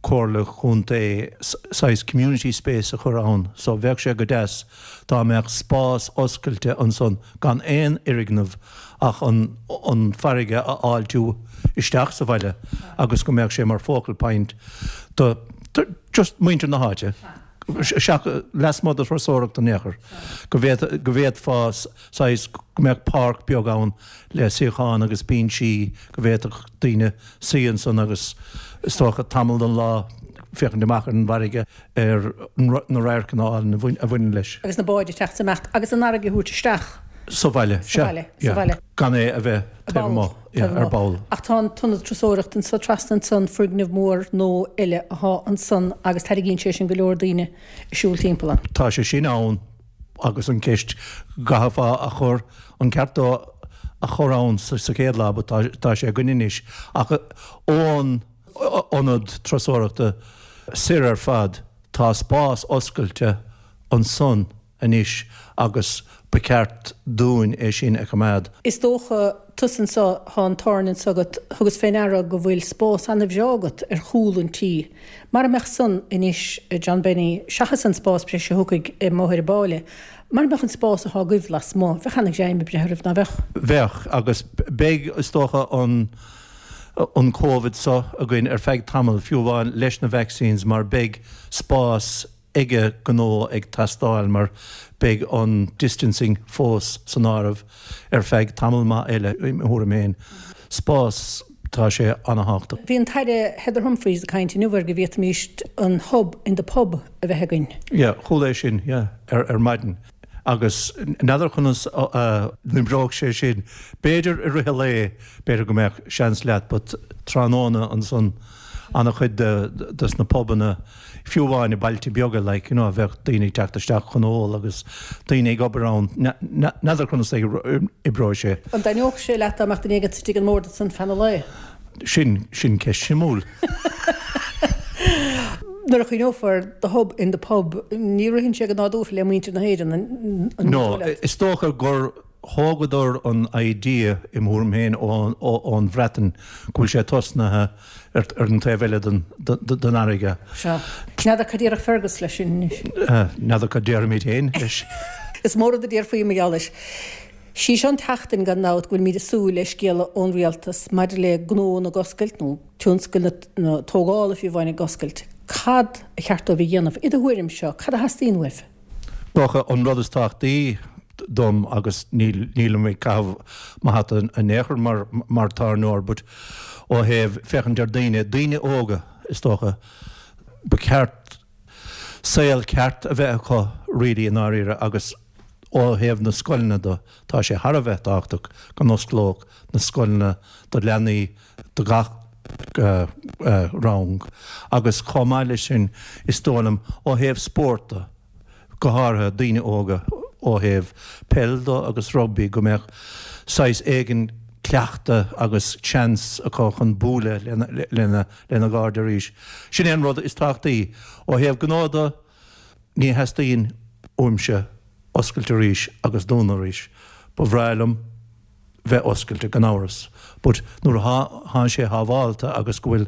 Comhairle Chontae saghas community space a chur ann so bheadh sé go deas dá mbeadh spás oscailte ansan gan aon fhoirgneamh ach an an farraige a fháiltiú isteach sa bhaile agus go mbeadh sé mar focal point do just muintir na háite seach lasmuigh de thurasóireacht in aon chor go go bhféadfá saghas go mbeadh páirc beag ann le suíocháin agus binsí go bhféadfadh daoine suí ansan agus is dócha tamall den lá féachaint amach ar an bhfarraige ar na radharcanna álainn a bhaineann leis. Agus na báid ag teacht is ag imeacht agus an fharraige a thabhairt isteach. Sa bhaile, sea. Sa bhaile. Gan é a bheith taobh amuigh, yeah, ar ball. Ach tá an t-ionad turasóireachta anso trasna ansan, foirgneamh mór nó eile athá ansan agus tarraingíonn sé sin go leor daoine ag siúl timpeall ann. Tá sé sin ann agus an ceist gcaithfeá a chur, an ceart dó a chur ann sa chéad lá but tá sé againn anois ach ón ionad turasóireachta soir ar fad tá spás oscailte ansan anois agus ba cheart dúinn é sin a choimeád. Is dócha, tusa anso, thá an tábhairne anso agat, thugas fé ndeara go bhfuil spás ana-bhreá agat ar chúl an tí. Mara mbeadh san anois, a John Benny, seachas an spás breise a thiocfaidh i mBóthar an Pháile, mara mbeadh an spás athá agaibh lasmuigh, bheadh ana-ghreim ag breith oraibh, ná bheadh? Bheadh, agus beidh, is dócha, an an Covid so againn ar feadh tamaill, fiú amháin leis na vaccines, mar beidh spás ag gnó ag teastáil mar beidh an distancing fós san áireamh ar feadh tamall maith eile i mo thuairim féin. Spás tá sé an-tábhachtach. Bhí an tAire Heather Humphreys ag caint inniu ar go bhféadfaimis an hub in the pub a bheith againn. Yeah, chuala é sin, yeah, ar, ar maidin. Agus n'fheadar conas a n-oibreodh sé sin. B'fhéidir i rith an lae, b'fhéidir go mbeadh seans leat, but tráthnóna ansan an-chuid de des na pubanna, fiú amháin i bailte beaga, like, you know, bheadh daoine ag teacht isteach chun ól agus daoine ag obair ann. N'fheadar conas a oibreoidh sé. An dtaitneodh sé leat dá mbeadh duine éigin istigh ag an mbord ansan feadh an lae? Sin, sin ceist shuimiúil. Nuair a chuimhneofar the hub in the pub, ní ritheann sé go nádúrtha le muintir na hÉireann, an No, is dócha gur thógadar an idea, i mo thuairim féin, ón Bhreatain, go bhfuil sé tosnaithe ar an taobh eile den fharraige. Sea. N'fheadar cad déarfadh Fergus leis sin anois. N'fheadar cad déarfaimid féin leis. Is mór rud a déarfaí mar gheall leis. Sí seo an tseachtain, gan dabht, go bhfuilimid ag súil le scéala ón rialtas maidir le gnónna ag oscailt, nó tionscal na tógála fiú amháin ag oscailt. Cad a cheart dóibh a dhéanamh? I do thuairimse, cad a theastaíonn uaibh? Dócha an rud is tábhachtaí dom agus nílim ag caitheamh mo hata in aon chor mar mar tábhairneoir but ó thaobh féachaint ar daoine, daoine óga is dócha, ba cheart saol ceart a bheith acu really i ndáiríre agus ó thaobh na scoileanna de tá sé thar a bheith tábhachtach go n-osclódh na scoileanna do leanaí do gach rang agus chomh maith leis sin is dóigh liom ó thaobh spóirt de, go háirithe daoine óga ó thaobh peil de agus rugbaí, go mbeadh saghas éigin cleachtadh agus seans acu chun bualadh lena lena gcairde arís. Sin é an rud is tábhachtaí. Ó thaobh gnó de, ní theastaíonn uaimse oscailt arís agus dúnadh arís. Ba bhreá liom bheith oscailte, gan amhras, but nuair a thá sé shábhálta agus go bhfuil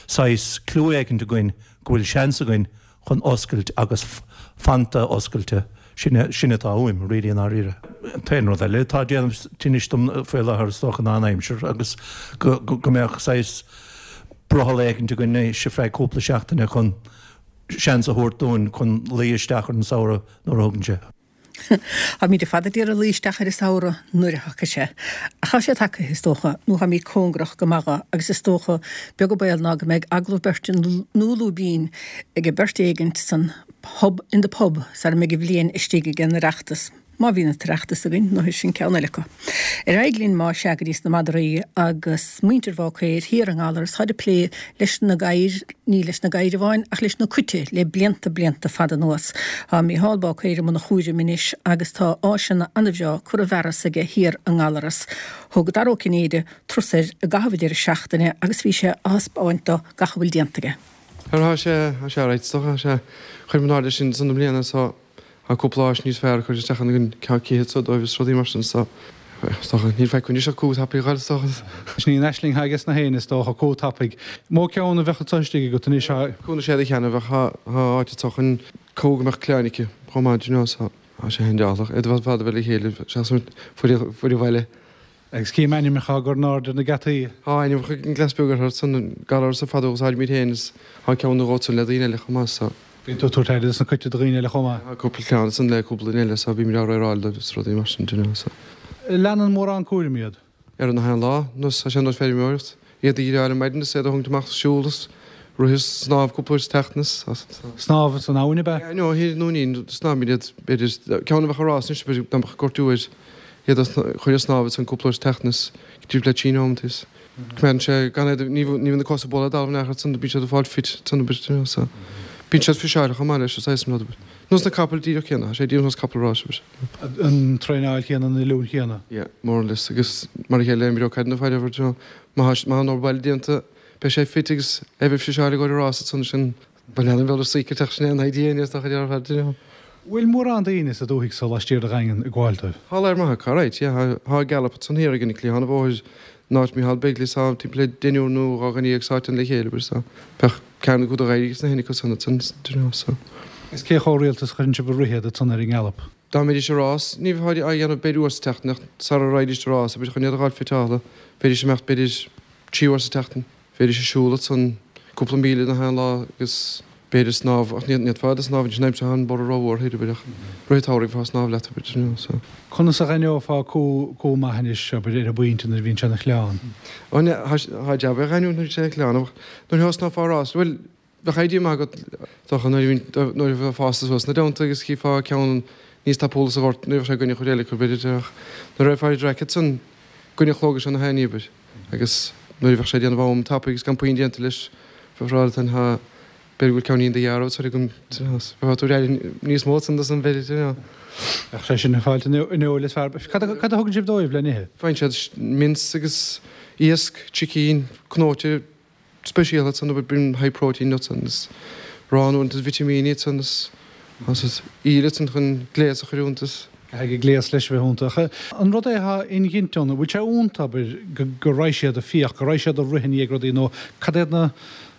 saghas clue éicint againn go bhfuil seans againn chun oscailt agus fanta oscailte, sin sin atá uaim, really i ndáiríre. An t-aon rud eile atá ag déanamh tinnis dom faoi láthair is dócha ná an aimsir agus go go mbeadh saghas brothall éicint againn anois ar feadh cúpla seachtaine chun seans a thabhairt dúinn chun luí isteach ar an samhradh nuair a thagann sé. Táimid ar fad ag iarraidh luí isteach ar an samhradh nuair a thiocfaidh sé. Ach tá sé tagtha, is dócha, nó táimid cóngarach go maith dho, agus is dócha, beag an baol ná go mbeidh agallamh beirte nó lúibín ag beirt éigint san Hub in the Pub sara mbeidh an bhliain istigh ag an Oireachtas. Má bhíonn an tOireachtas againn, nó sin ceann eile acu. Ar aghaidh linn má sea go dtí sna madraí agus muintir Bháicéir thiar i nGallaras táid ag plé leis na gadhair, ní leis na gadhair amháin ach leis na cait le blianta blianta fada anuas. Tá Mícheál Báicéir i mbun a chúraim anois agus tá áiseanna an-bhreá curtha i bhfearas aige thiar i nGallaras. Thug Dara Ó Cinnéide turas air i gcaitheamh an deireadh seachtaine agus bhí sé á thaispeáint dó gach a bhfuil déanta aige. Tá sé, tá sé alright is dócha, tá sé, chuir mé in airde sin san i mbliana so Tá cúpla áis níos fearr curtha isteach againn, ceann cith so dóibh is rudaí mar sin so is dócha níl faic anois ach cú tapaidh a dh'fháil is dócha. Sin í an aisling atá aige sna héinne is dócha, cú tapaidh. Mó ceann a bheadh anso istigh agat anois a. Cú na séad a cheana bheadh thá áit anso chun cú go mbeadh cliabhán aici chomh maith do you know so tá sé an-dealrach iad ar fad a bheith le chéile seachas fuair an bhaile. Agus cím ainmneacha á gcur in airde ar na geataí. Tá ainmneacha ag an gcleas beag orthu san Gallaras ar fad a úsáidimid féin is tá ceann nó dhó ansan le daoine eile chomh maith so. Bíonn tú ag tabhairt aire dos na cait do dhaoine eile chomh maith. Tá cúpla ceann ansan le cúpla duine eile so bímid á riaráil dóibh is rudaí mar sin do you know so. Leanann mórán cúraim iad. Ar na haon lá, nós tá sé nós feirmeoireacht, iad a dhíreáil ar maidin is iad a tharraingt amach siúl is rith is snámh cúpla uair sa tseachtain is. Snámh san abhainn ab ea? Yeah no, thiar i nDúinín, snámhaimid iad b'fhéidir, ceann a bheadh ag rás anois b'fhéidir dá mbeadh gortú air. Iad a chur ag snámh ansan cúpla uair sa tseachtain is timpeall le trí nóiméad is coimeádann sé gan iad, ní bhíonn na cosa ag bualadh an talamh in aon chor ansan bíonn siad ag fáil fit ansan abair you know so bíonn siad fiseáilte chomh maith leis is saghas an rud abair. Nós na capaill díreach céanna, tá sé díreach nós capall ráis abair. An traenáil chéanna, an oiliúint chéanna. Yeah, more or less agus mar a chéile imreoidh caid nó faire abair you know má tá má tá an obair baile déanta beidh sé fit agus é bheith fiseáilte ag gabháil a rás ansan sin Ba lean an bhealach saoirseach sin aon idea níos dócha ar fad, you know. Bhfuil mórán daoine sa dúthaigh so laistiar de Dhaingean ag gabháil dóibh? Tá lear maith acu, alright, yeah. Tá Gallup ansan thiar ag an cliathán an bhóthair in áit Micheál Begley tá timpeall le deichniúr nó dhá dhuine dhéag sáite ann le chéile, abair, so bheadh ceann acu do dh'éirigh sna hinniu san ansan, do you know, so. Is cé chomh rialta is a chuireann sibh ag rith iad ansan ar an nGallop? Dá mbeidís ag rás, ní bheifeá á dhéanamh b'fhéidir uair sa tseachtain ach sara raghaidís ag rás, abair, chun iad a dh'fháil fiteáilte, bheidís ag imeacht b'fhéidir trí uair sa tseachtain. Bheidís ag siúl ansan cúpla míle na haon lá agus B'fhéidir snámh, ach ní fhéadfá a snámh anois an aimsir, tá an borradh rómhór thoir, abair, ach rith an tsamhraidh bheifeá ag snámh leat, abair, you know, so. Conas a dh'aithneofá cú, cú maith anois, abair, ar an bpointe nuair a bhíonn sé ina chleán? Ó, ne, thá, thá jab é a dh'aithniúint nuair a bhíonn sé ina chleán, ach nuair a thosnófá rás, bhuel, bheadh idea maith agat, dócha, nuair a bhíonn, nuair a bheifeá fásta suas ina dteannta agus chífeá ceann níos tapúla sa ghort, ní bheadh sé i gcoinne chuid eile acu, b'fhéidir, ach nuair a raghfá ar an traic ansan, i gcoinne an chlógais ann a thaitní, abair, agus nuair a bheadh sé ag déanamh am tapaidh agus gan puinn déanta leis, bheifeá ag rá leat féin, thá, B'fhéidir go bhfuil ceainnín de dhearbh tar agam, bheifeá tú ag níos mó san san b'fhéidir, you know. Bheadh sé sin ag fáilt an fheoil is fearr. Cad a thugann sibh dóibh le n-ithe? Faigheann siad mince agus iasc, chicken, cnóite speisialta san, bíonn high protein ansan is arán uaireanta is vitimíní ansan is is íle ansan chun gléas a chur iontu is. Caithfidh gléas leis a bheith iontu. Ach an rud é atá inghinte ann, an bhfuil sé iontu, abair, go raghaidh siad ag fiach, go raghaidh siad ag rith i ndiaidh rudaí nó cad iad na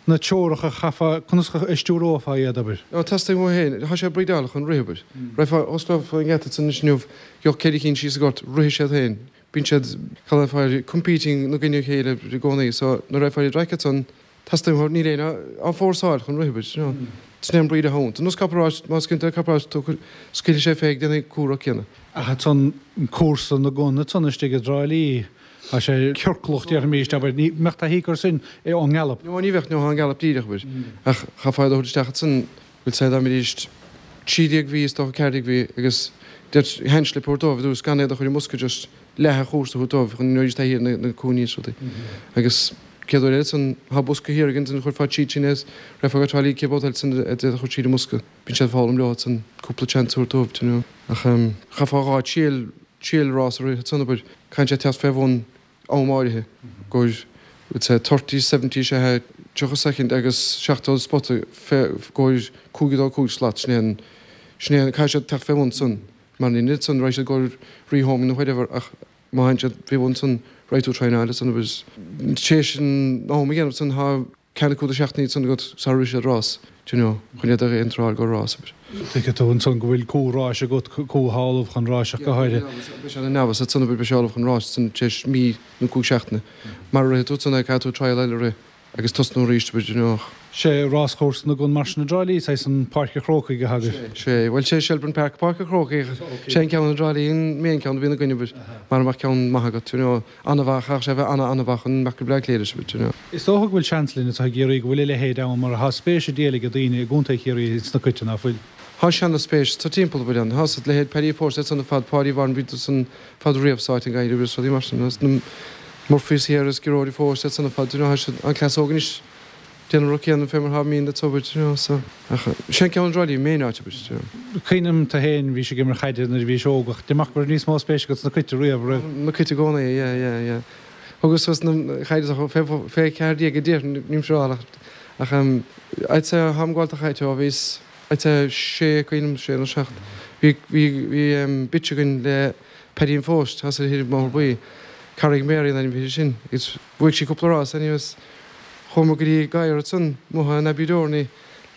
na teoracha a chaithfeá, conas a stiúrófá iad, abair? Nó teastaíonn uathu féin, tá sé breedáilte chun rith, abair. Raghfá, osclófá an geata ansan anois inniu, gheobhadh ceithre cinn síos sa ghort, rithfidh siad féin. Bíonn siad, cad é fá, competing ina gcoinne a chéile i gcónaí, so nuair a raghfá ar an traic ansan, teastaíonn uathu, níl éinne á fórsáil chun rith, abair, you know. Sin é an breed atá iontu. Nós capall ráis, má scaoileann tú capall ráis, tú scaoilfidh sé fé ag déanamh comhrac céanna. Ach ansan, cúrsa na gcon ansan istigh i dTrá Lí, Tá sé ciorclach, déarfaimis, abair, ní mbeadh taithí acu air sin ón ngalop. No, ní bheadh, nó tá an galop díreach, abair. Ach chaithfeá iad a thabhairt isteach ansan, bhfuil sé, dá mbeidís trí déag mhí, is dócha ceathair déag mhí, agus deir hand slip a thabhairt dóibh ar dtús, gan iad a chur i mbosca, just leath an chúrsa a thabhairt dóibh chun go mbeidís taithí ar na cúinní is rudaí. Agus céad uair eile ansan, tá bosca thiar againn ansan, chuirfeá tríd sin é is raghfá go Trá Lí céad babhta eile ansan iad a chur tríd an mbosca. Bíonn siad ag foghlaim leo ansan, cúpla chance a thabhairt dóibh, you know. Ach chaithfeá dhá triail triail rás a rith ansan, abair, caithfidh sé teacht fé bhun am áirithe, gur, let's say, thirty, seventy, sé a tríocha soicind agus seachtó spota fé gcomhair cúig a dó cúig slat, sin é an, sin é an, caithfidh siad teacht fé bhun san, mar ní níl san, raghaidh siad gcomhair rehoming nó whatever ach má thagann siad fé bhun san raghaidh tú traenáil ansan agus tar éis an am a dhéanamh san tá ceann acu de seachtainí ansan agat sara rithfidh siad rás, do you know, chun iad a iontráil go rás, abair. Tuigfidh tú ansan go bhfuil cú ráis agat, cú atá ullamh chun ráis ach go háirithe. Beidh sé ina neamhas ansan, abair, beidh sé ullamh chun ráis ansan tar éis mí nó cúig seachtaine. Mara rithfidh tú ansan é, caithfidh tú trial eile a rith agus tosnú arís, abair, do you know, ach. Sé ráschúrsa na gcon mar sin i dTrá Lí, saghas an Páirc a' Chrócaigh atá agaibh. Sé, bhuel, sé Shelbourne Park, Páirc a' Chrócaigh, sé an ceann i dTrá Lí an main ceann a bhíonn againn, abair, mara mbeadh ceann maith agat, you know, an-mhaith, chaithfeadh sé a bheith ana-ana-mhaith chun mbeadh go Bleá Cliath leis, abair, you know. Is dócha go bhfuil seans linn anseo i gCiarraí go bhfuil a leithéid ann mar tá spéis ag díol ag daoine i gContae Chiarraí sna cait, ná fuil? Tá seana-spéis sa timpeall, abair, ann. Tá a leithéid Paddy Post iad san ar fad, Páidí Warren, bhí san fad riamh sáite in Gaillimh agus rudaí mar sin, agus na Murphys thiar agus Gearóid Phost iad san ar fad, you know, tá siad, an cleas óg anois, déanamh rud céanna fé mar thá mín le tobair, you know, so, ach sin ceann an Drá main áit, abair, you know. Cuimhním tú féin, bhís ag imirt chaide nuair a bhís óg ach deir amach go raibh níos mó spéis agat sna cait riamh, raibh? Na cait i gcónaí, yeah, yeah, yeah. Thugas suas na chaide fé fé ceathair déag a deich nílim siúráilte ach ach I'd say tháim ag gabháil do chaid ó bhíos I'd say sé cuimhním sé nó seacht. Bhí bhí bhí bitch againn le Paddy an Phost thall ar an mBóthar Buí. Carraig Mary an ainm a bhí uirthi sin agus bhuaigh sí cúpla rás anyways chuamar go dtí gadhar ansan amuigh in Abbeydorney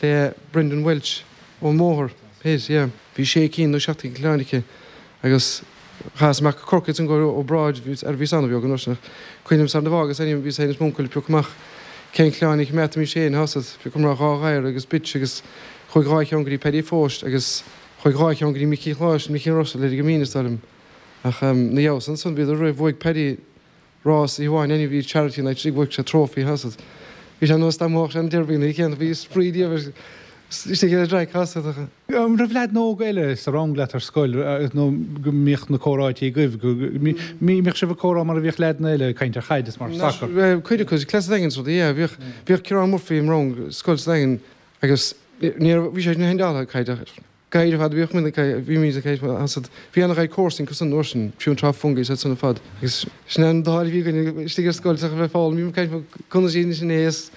le Brendan Welch ón mBóthar thoir yeah. Bhí sé cinn nó seacht gcinn coileáin aici agus chaitheas amach go Corcaigh ansan go obráid ar bhíos an-bheag an uair sin ach cuimhním sar na bhfágas ainm bhíos féin is m'uncail ag piocadh amach cén coileáin a choimeádfaimis féin tá a fhios agat phiocamar dhá ghadhar agus bitch agus chuaigh dhá cheann go dtí Paddy Phost agus chuaigh dhá cheann go dtí Micí Chláis Micí Russell ar an gCimín is dóigh liom ach na dheabhas ansan bhíodar roimh bhuaigh Paddy rás oíche amháin anyway bhí charity night istigh bhuaigh sé trophy tá a fhios agat bhí sé nós dá mbuafadh sé an derby nó cén bhí spraoi diamhair istigh ar an traic tá a fhios agat ach. An raibh leaideanna óga eile sa rang leat ar scoil nó go mbíodh na comhráití agaibh, go mbíodh sibh ag comhrá mar a bhíodh leaideanna eile ag caint ar chaid is mar sacar? Cuid acu, cleas an Daingin is rudaí, yeah. Bhíodh, bhíodh Ciarán Murphy im rang scoil sa Daingean agus ní raibh, bhí sé ina hendála ag caid ach gadhair ar fad a bhíodh muid ag, bhí muid ag caint tá a fhios agat. Bhí an-ghair comharsan acu san uair sin, fiú an tráth Fungie is iad san ar fad agus sin an dáil a bhí againn istigh ar scoil ach a bheith ag foghlaim, bhí muid ag caint conas iad sin é is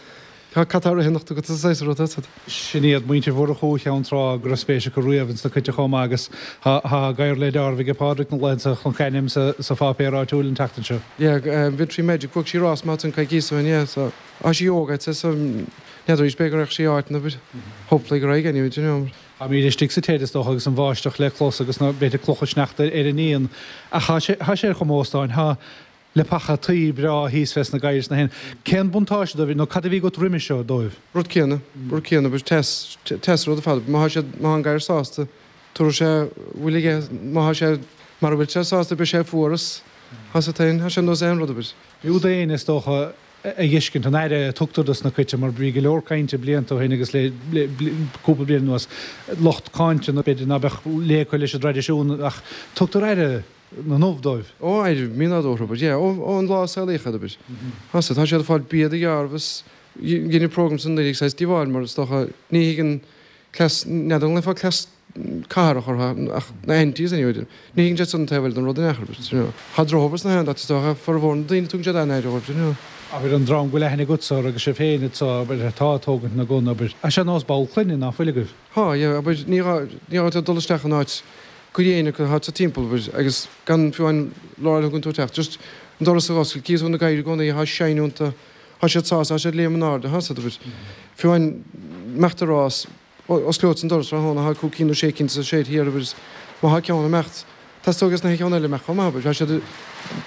Tá cad tá rith anocht agat sa saghas rud agat. Sin iad muintir Mhurchú Cheann Trá go raibh spéis acu riamh ins na cait chomh maith agus tá gadhar le deáramh aige Pádraig na laethanta chonac a ainm sa pháipéar áitiúil an tseachtain seo. Yeah, Victory Magic, bhuaigh sí rás maith ansan coicíos ó shin, yeah, so tá sí óg I'd say so n'fheadar arís b'fhéidir go raghadh sí áit nó but hopefully go raghaidh anyway, do you know. Táimid istigh sa téad is dócha agus an bháisteach le clos agus na b'fhéidir clocha sneachta ar an ndíon ach tá sé ar chuma óstáin. Tá Leapacha tuí breá thíos fés na gadhair is na héin. Cén buntáiste dóibh nó cad a bhí agat roimhe seo dóibh? Rud céanna, rud céanna, but teas, teas rud ar fad. Má thá siad, má thá an gadhar sásta, tabharfaidh sé a bhfuil aige, má thá sé, mara bhfuil sé sásta beidh sé fuar is thá sé tinn, thá sé nós aon rud abair. B'fhiú d'éinne is dócha a fheiscint an aire a tugtar dos na cait mar bhí go leor cainte blianta ó shin agus le cúpla bliain anuas lucht cáinte nó b'fhéidir ná beadh léigthe leis an dtraidisiún ach tugtar aire na n-ubh dóibh. Ó aire mínádúrtha abair, yeah, ó ón lá a saolaíodh iad abair. Tá tá siad ag fáil bia de dhearbh is deineadh program san nuair saghas díobháil mar is dócha ní thuigeann cleas, n'fheadar an nglaofá cleas cathrach orthu ach na aunties anyway, ní thuigeann siad san taobh eile den rud in aon chor abair, you know. Tá drochobair sna haon áit is dócha, formhór na daoine tugann siad an-aire dóibh, you know. Abair an dream go bhfuil aithne agatsa orthu agus sibh féin atá, abair, atá ag tógaint na gcon, abair. Tá sé nós ball clainne ná fuil agaibh? Tá, yeah, abair, ní gá, ní gá duit dul isteach in áit go dhéine go háit sa timpeall, abair, agus gan fiú an lá a thugann tú isteach, just an doras a dh'oscailt, cífidh tú na gadhair i gcónaí, thá shine iontu, thá siad sásta, thá siad ag léim in airde, thá siad, abair, fiú an imeacht a rás, osclódh an doras tráthnóna, thá cúig cinn nó sé cinn sa shed thiar, abair, má thá ceann ag imeacht, teastóidh as na ceann eile imeacht chomh maith, abair, thá siad ag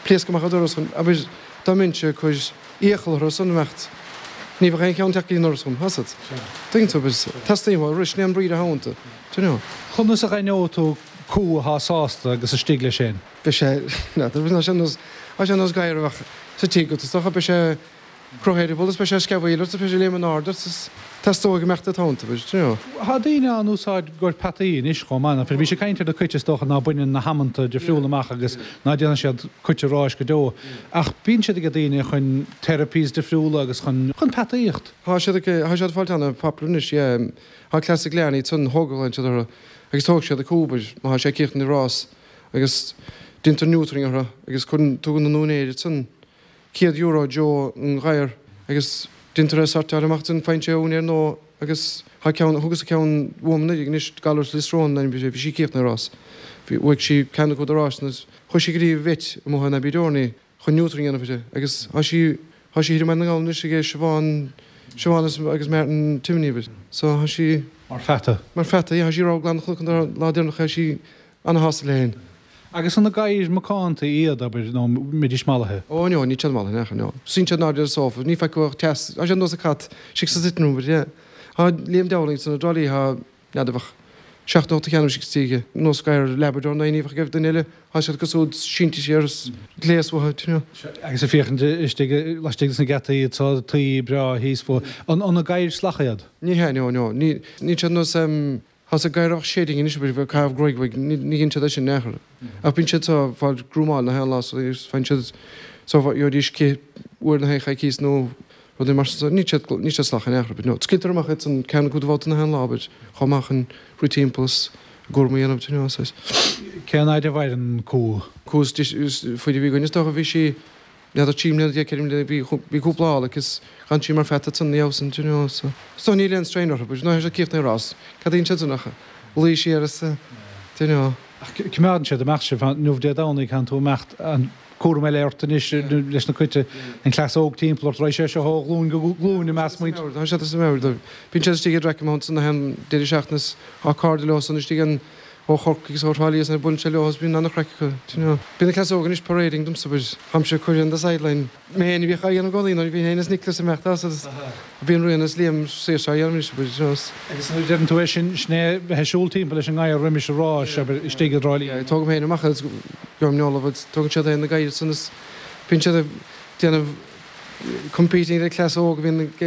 pléascadh amach an doras chun, abair, dá mbeinnse ag cur iachall orthu san imeacht, ní bheadh aon cheann ag teacht go dtí an doras chugam, tá 'fhios a'd. Tuigeann tú, abair, teastaíonn uathu arís, ní an breed atá iontu, do you know. Conas a dh'aithneoidh tú cú athá sásta agus istigh leis fhéin? Beidh sé, n'fheadar, tá sé nós, tá sé nós gadhar a bheadh sa tigh agat, is dócha, beidh sé ag croitheadh eireaball is beidh sé ag sceamhaíl ort is beidh sé ag léim in airde ort is teastóidh go mbeadh tú iontu, do you know. Tá daoine á n-úsáid i gcomhair peataí anois chomh maith, nach bhfuil? Bhí sé ag caint ar na cait is dócha ná baineann na hamanta difriúla amach agus ná déanann siad cait ráis go deo. Ach bíonn siad ag daoine chun therapies difriúla agus chun, chun peataíocht. Tá siad ag, tá siad ag fáilt ana-popular anois, yeah. Tá cleas ag leanaí ansan, thógadh siad orthu agus tógfaidh siad an cú, abair, má tá sé ag críochnú rás agus déantar neutering orthu agus cuireann, tugann an úinéir ansan céad euro Joe an ghadhar agus déantar é sortáil amach ansan, faigheann sé a úinéir nua agus tá ceann, thugas ceann uaim anuraidh anois, gadhar as Lios Róin an ainm, bhí sí ag críochnú rás, bhí, bhuaigh sí ceann acu de ráiseanna agus chuaigh sí go dtí vet amuigh in Abbeydorney chun neutering a dhéanamh uirthi agus tá sí, tá sí thiar i mBaile na nGall anois ag Siobhán, Siobhán agus Martin Timoney abair, so tá sí. Mar pheata. Mar pheata, yeah, tá sí rogha glan chnoc an lá deireanach, tá sí ana-shásta léi féin. Agus an na gadhair macánta iad, abair, nó mbeidís mallaithe? Ó, no, níl siad mallaithe in aon chor, no. Suíonn siad in airde ar an sofa, ní feiceann tú ach teas, tá siad nós an cat, istigh sa sitting room, abair, yeah. Tá Liam Dowling ansan i dTrá Lí, tá, n'fheadar, bheadh seacht nó ocht de cheann istigh sa tigh aige, nós gadhar Labrador nó ní bheadh ag duine eile, tá siad cosúil sínte siar is gléas uathu, you know. Agus ag féachaint istigh, laistigh de na geataí, tá tuí breá thíos fúthu. An, an na gadhair shlactha iad? Ní hea, no, no. Ní, níl siad nós, em, tá 'fhios a'd gadhar a bheadh shedding anois, abair, bheadh caitheamh gruaig uaidh, ní, ní dhéanann siad é sin in aon chor. Ach bíonn siad so, fáil grúmáil na haon lá so, faigheann siad, so, gheobhaidís cith uair na haon choicíos nó rudaí mar sin so, níl siad, níl siad salach in aon chor, but no. Scaoiltear amach iad san ceann acu de bhabhta na haon lá, abair, chomh maith chun rith timpeall is a gcúram a dhéanamh, do you know, saghas. Cén fhaid a mhaireann cú? Cú is faide a bhí againn is dócha, bhí sí, n'fheadar trí mbliana déag, ceithre mbliana, bhí, bhí cúpla ál aici is d'fhan sí mar pheata ansan ina dhiaidh san, do you know, so. So níl aon strain orthu, but nuair atá siad críochnaithe rás, cad a dhéanann siad san ach luí siar is, do you know. Ach coimeádann siad amach sibh, inniu Dé Domhnaigh, tánn tú imeacht, an cúram eile ort anois leis na cait, an cleas óg timpeall ort, raghaidh sé seo ó ghlúin go glúin i measc muid. Tá siad as a meabhair dóibh. Bíonn siad istigh i dTraic Mount san aon deireadh seachtaine is tá cairde leo san istigh an ó Chorcaigh is ó Thrá Lí is nuair a buaileann sé leo is bíonn an-chraic acu, do you know. Bíonn na cleas óga anois parading domsa but táimse ag cur on the sideline. Mé féin a bhíodh á dhéanamh i gcónaí nuair a bhí féin is Nicholas ag imeacht as agus bíonn Rian is Liam saoirse á dhéanamh anois but you know. Agus nuair a deireann tú é sin, sin é bheith ag siúl timpeall leis an ngadhar roimis an ráis, abair, istigh i dTrá Lí. Yeah, tógaim féin amach agus gabhaim in agus tógann siad féin na gadhair san is bíonn siad ag déanamh competing le cleas óg a bhíonn ag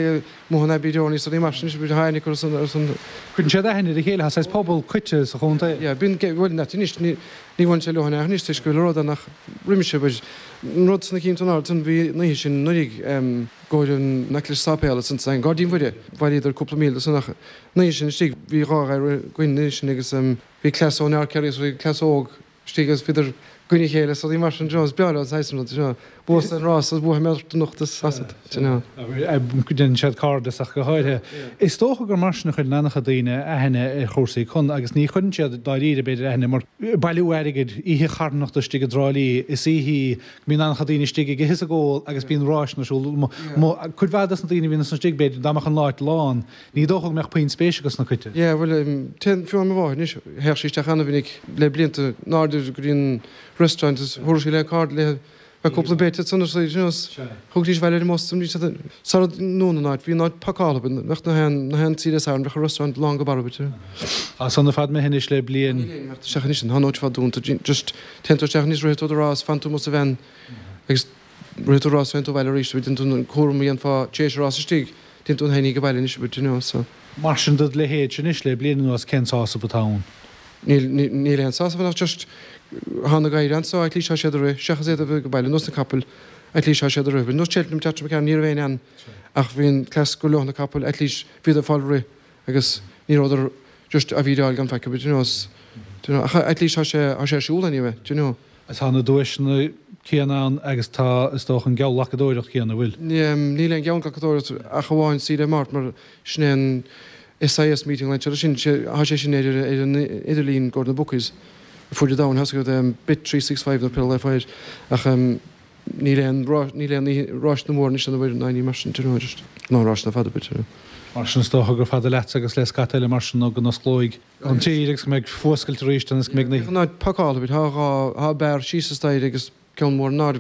amuigh in Abbeydorney is rudaí mar sin anois, bíonn aithne acu ar son, ar son. Cuireann siad aithne ar a chéile, tá saghas pobal cait sa chontae. Yeah, bíonn, bhuel, not anois, ní, ní bhaineann sé leo in aon chor anois toisc go bhfuil rud ann ach roimis, but an rud sna cinn san ard san bhí an oíche sin anuraidh i gcomhair an Necklace Sáipéal san san Gairdín Mhuire, bhailíodar cúpla míle san ach an oíche sin istigh bhí dhá ghadhar againn an oíche sin agus bhí cleas ón Fhear Ciarraí agus bhí cleas óg istigh agus bhíodar i gcoinne a chéile is rudaí mar sin, do you know, is breá leo an saghas sin rud, do you know, buafaidh an rás agus buafaidh mé ort anocht is as it, do you know. Déanann siad cairdeas ach go háirithe. Is dócha gur mar sin a chuireann an-chuid daoine aithne ar chúrsaí con agus ní chuireann siad dáiríre b'fhéidir aithne mar bailiú airgid, oíche charthanachta istigh i dTrá Lí, is oíche í go mbíonn an-chuid daoine istigh ag ithe is ag ól agus bíonn ráiseanna ar siúl. Cuid mhaith dos na daoine a bhíonn istigh b'fhéidir dá mbeadh an áit lán Ní dócha go mbeadh puinn spéise acu sna cait. Yeah, bhuel, téann, fiú mo mháthair anois, théadh sí isteach an-mhinic le blianta in airde go dtí an restaurant is thabharfadh sí le cairde léi Bheadh cúpla bit ansan is you know thugtaís abhaile ar an mbus bhí siad sara ndúnadh an áit bhí an áit pacáilte bheadh na haon na haon Dé Sathairn bheadh an restaurant lán go barr you know. Tá san ar fad imithe anois le bliain. Níl aon imeacht isteach anois tá an áit ar fad dúnta just téann tú isteach anois rith tú do rás fan tú amuigh sa veain agus rith tú rás téann tú abhaile arís déanann tú an cúram a dhéanfá tar éis an rás istigh téann tú féinig abhaile anois you know so. Mar sin dod leithéidse anois le bliain anuas cén sásamh atá ann? Níl, níl aon sásamh ann ach just thá na gadhair anso at least thá siad ag rith, seachas iad a bheith ag baile, nós na capaill, at least thá siad ag rith. Nós Cheltenham Teatran McCarran ní raibh éinne ann ach bhí an cleas gur leo na capaill at least bhíodar ag fáil rith agus ní rabhadar just á bhídeáil gan faic do you know, do you know, ach at least thá sé, thá sé ar siúl anyway, do you know. Tá na duaiseanna céanna ann agus tá, is dócha, an geallghlacadóireacht chéanna, an bhfuil? Níl aon gheallghlacadóireacht ach amháin Dé Máirt mar sin é an SIS meeting like sin, tá sé sin ar ar an idirlíon i gcomhair na bookies ar fud an domhain, tá a fhios agat Bet three six five nó pé le fáil ach níl aon níl aon ráiseanna móra anois ann ná ní mar sin, do you know, just ná ráiseanna fada but, you know. Mar sin is dócha gur fada leatsa agus le scata eile mar sin nó go n-osclóidh an tír agus go mbeidh fuascailt arís ann agus go mbeidh na. An áit pacáilte, tá dhá, tá beár síos an staighre agus ceann mór in airde,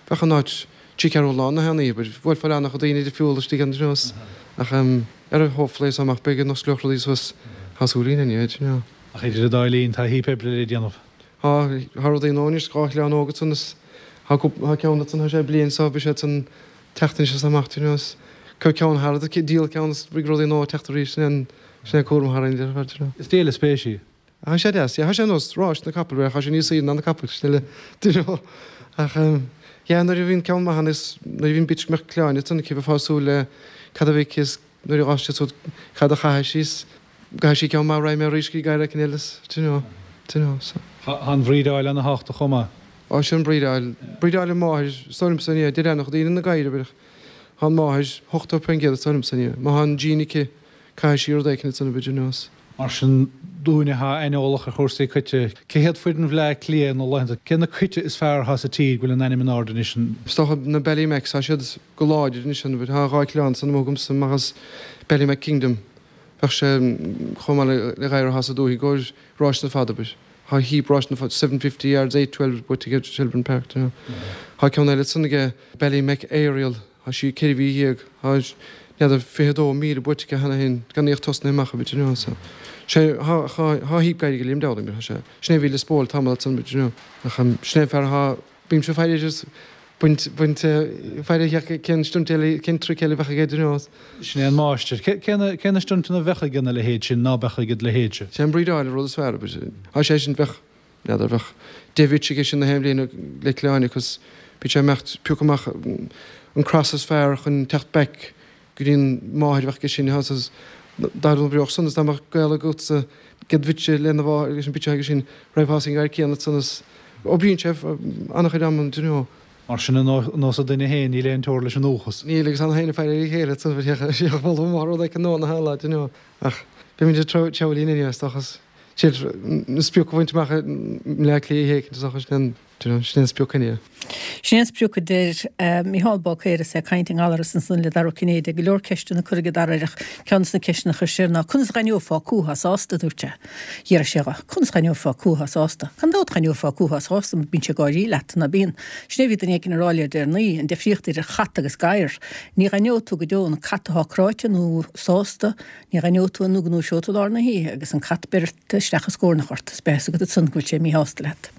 bheadh an áit trí ceathrú lán na haon oíche, bhuailfeá le an-chuid daoine difriúla istigh ann, you know, ach ar hopefully is amach beidh an osclódh rudaí suas, tá súil againn anyway, you know. Ach idir an dá linn tá heap oibre le déanamh. Tá, tá rudaí nua anois, dhá chlann óg ansan is tá cúpla, tá ceann ansan, tá sé bliain so beidh sé ansan teacht anois is amach, you know, is Cuir ceann thar, díol ceann is beidh rudaí nua ag teacht arís, sin é an, sin é cúram thar aon ar fad, you know. Is díol spéise í. Tá sé deas, yeah, tá sé ar nós ráis na capall, tá sé níos saoire ná na capaill, sin eile, do you know. Ach, yeah, nuair a bhíonn ceann maith ann is nuair a bhíonn bitch go mbeadh cliáin ansan aici, bheifeá ag súil le cad a bheidh aici is nuair a dh'fhás siad suas cad a chaithfidh sí is go gcaithfidh sí ceann maith roimhe arís go dtí gadhar éicint eile is, do you know, do you know, so. Tá an bhrídeáil ana-thábhachtach chomh maith. Á, sin an bhrídeáil, brídeáil an mháthair, is dóigh liomsa, yeah, deir an-chuid daoine na gadhair, abair, Tá an mháthair ochtó faoin gcéad is dóigh liomsa inniu. Má tá an gene aici, caithfidh sí rud éicint ansan b'fhéidir nós. Mar sin, dúinne atá aineolach ar chúrsaí coite, cé hiad foireann Bhleá Cliath na laethanta, cé na coite is fearr atá sa tír go bhfuil a n-ainm in airde anois? Is dócha na Ballymacs, tá siad go láidir anois ann, tá dhá chlann san amuigh agamsa amach as Ballymac Kingdom, bheadh sé chomh maith le gadhar atá sa dúthaigh i gcomhair ráiseanna fada, abair. Tá heap ráiseanna fada, seven fifty yards, eight twelve buaite aige Shelbourne Park, do you know. Tá ceann eile ansan aige, Ballymac Ariel, Tá sí ceithre mhí dhéag, tá, n'fheadar, fiche dó míle buaite aici cheana féin, gan í ach tosnaithe amach, you know, so. Sé, thá, thá, thá heap gadhair ag Liam Dowling, but tá sé, sin é a bhí Lios Póil tamall ansan, but you know, ach sin é an fear athá, bímse ag faire air is baint, baint, faire air cén stunt eile, cén trick eile a bheadh aige, you know. Sin é an máistir. Cé, cé na, cé na stuntanna a bheadh aige na leithéid sin, ná beadh ag do leithéidse? Sé an brídeáil an rud is fearr, but tá sé sin, bheadh, N'fheadar, bheadh deich bhitch aige sin na haon bhliain le cliáin agus bíonn sé ag imeacht piocadh amach an cross is fearr chun teacht back go dtí an máthair a bheadh aige sin is dá n-oibreodh san is dá mbeadh gaol agatsa gcéad bhitse lena mháthair leis an bitch aige sin raghfá san gadhar céanna ansan is oibríonn sé an-chuid amanna do you know. Mar sin ar nós an duine féin níl aon teora leis an ndóchas. Níl agus an féin ag faire ar a chéile ansan bheadh moladh maith rud éicint nua na haon lá do you know ach beimid ag treabhadh linn anyway is dócha is Sin an sprioc a bhaint amach i mBleá Cliath éicint is dócha sin an sin an sprioc inniu. Sin an sprioc a deir Mícheál Báicéir is é ag caint i nGallaras ansan le Dara Ó Cinnéide. Go leor ceisteanna curtha ag Dara air ach ceann de na ceisteanna a chuir sé air ná conas a dh'aithneofá cú atá sásta, a dúirt sé. D'fhiafraigh sé dhe, conas a dh'aithneofá cú atá sásta? Gan dabht dh'aithneofá cú atá sásta mar bíonn sé ag gáirí leat, ná bíonn? Sin é a bhí duine éicint a rá le deireanaí, an difríocht idir chat agus gadhar. Ní dh'aithneoidh tú go deo an cat atá cráite nó sásta, Ní dh'aithneoidh tú é nó go ndúiseoidh tú i lár na hoíche agus an cat beirt isteach is scornach ort is beidh a fhios agat ansan go bhfuil sé míshásta leat.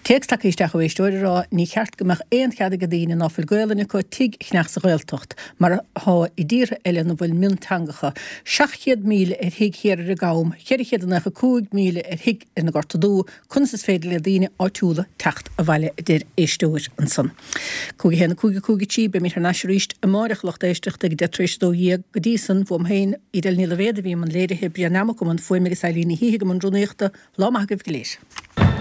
Téacs tagtha isteach ó éisteoir ag rá ní cheart go mbeadh aon chead ag daoine ná fuil Gaolainn acu tigh a cheannach sa Ghaeltacht mar atá i dtíortha eile ina bhfuil mionteangacha. Seacht chéad míle ar thigh thiar ar an gCam, ceithre chéad a naocha cúig míle ar thigh ar na Gorta Dubha, Conas is féidir le daoine áitiúla teacht abhaile a deir éisteoir ansan. Cúig a haon a cúig a cúig a trí Beimid thar n-ais arís amáireach a lucht éisteachta ag deich tar éis a dó dhéag. Go dtí san, uaim féin, Edel Ní Loibhéad a bhí i mbun léirithe, Brian Nammock i mbun fuaime agus Eileen Ní hÍthigh i mbun rúnaíochta. Lá maith agaibh go léir.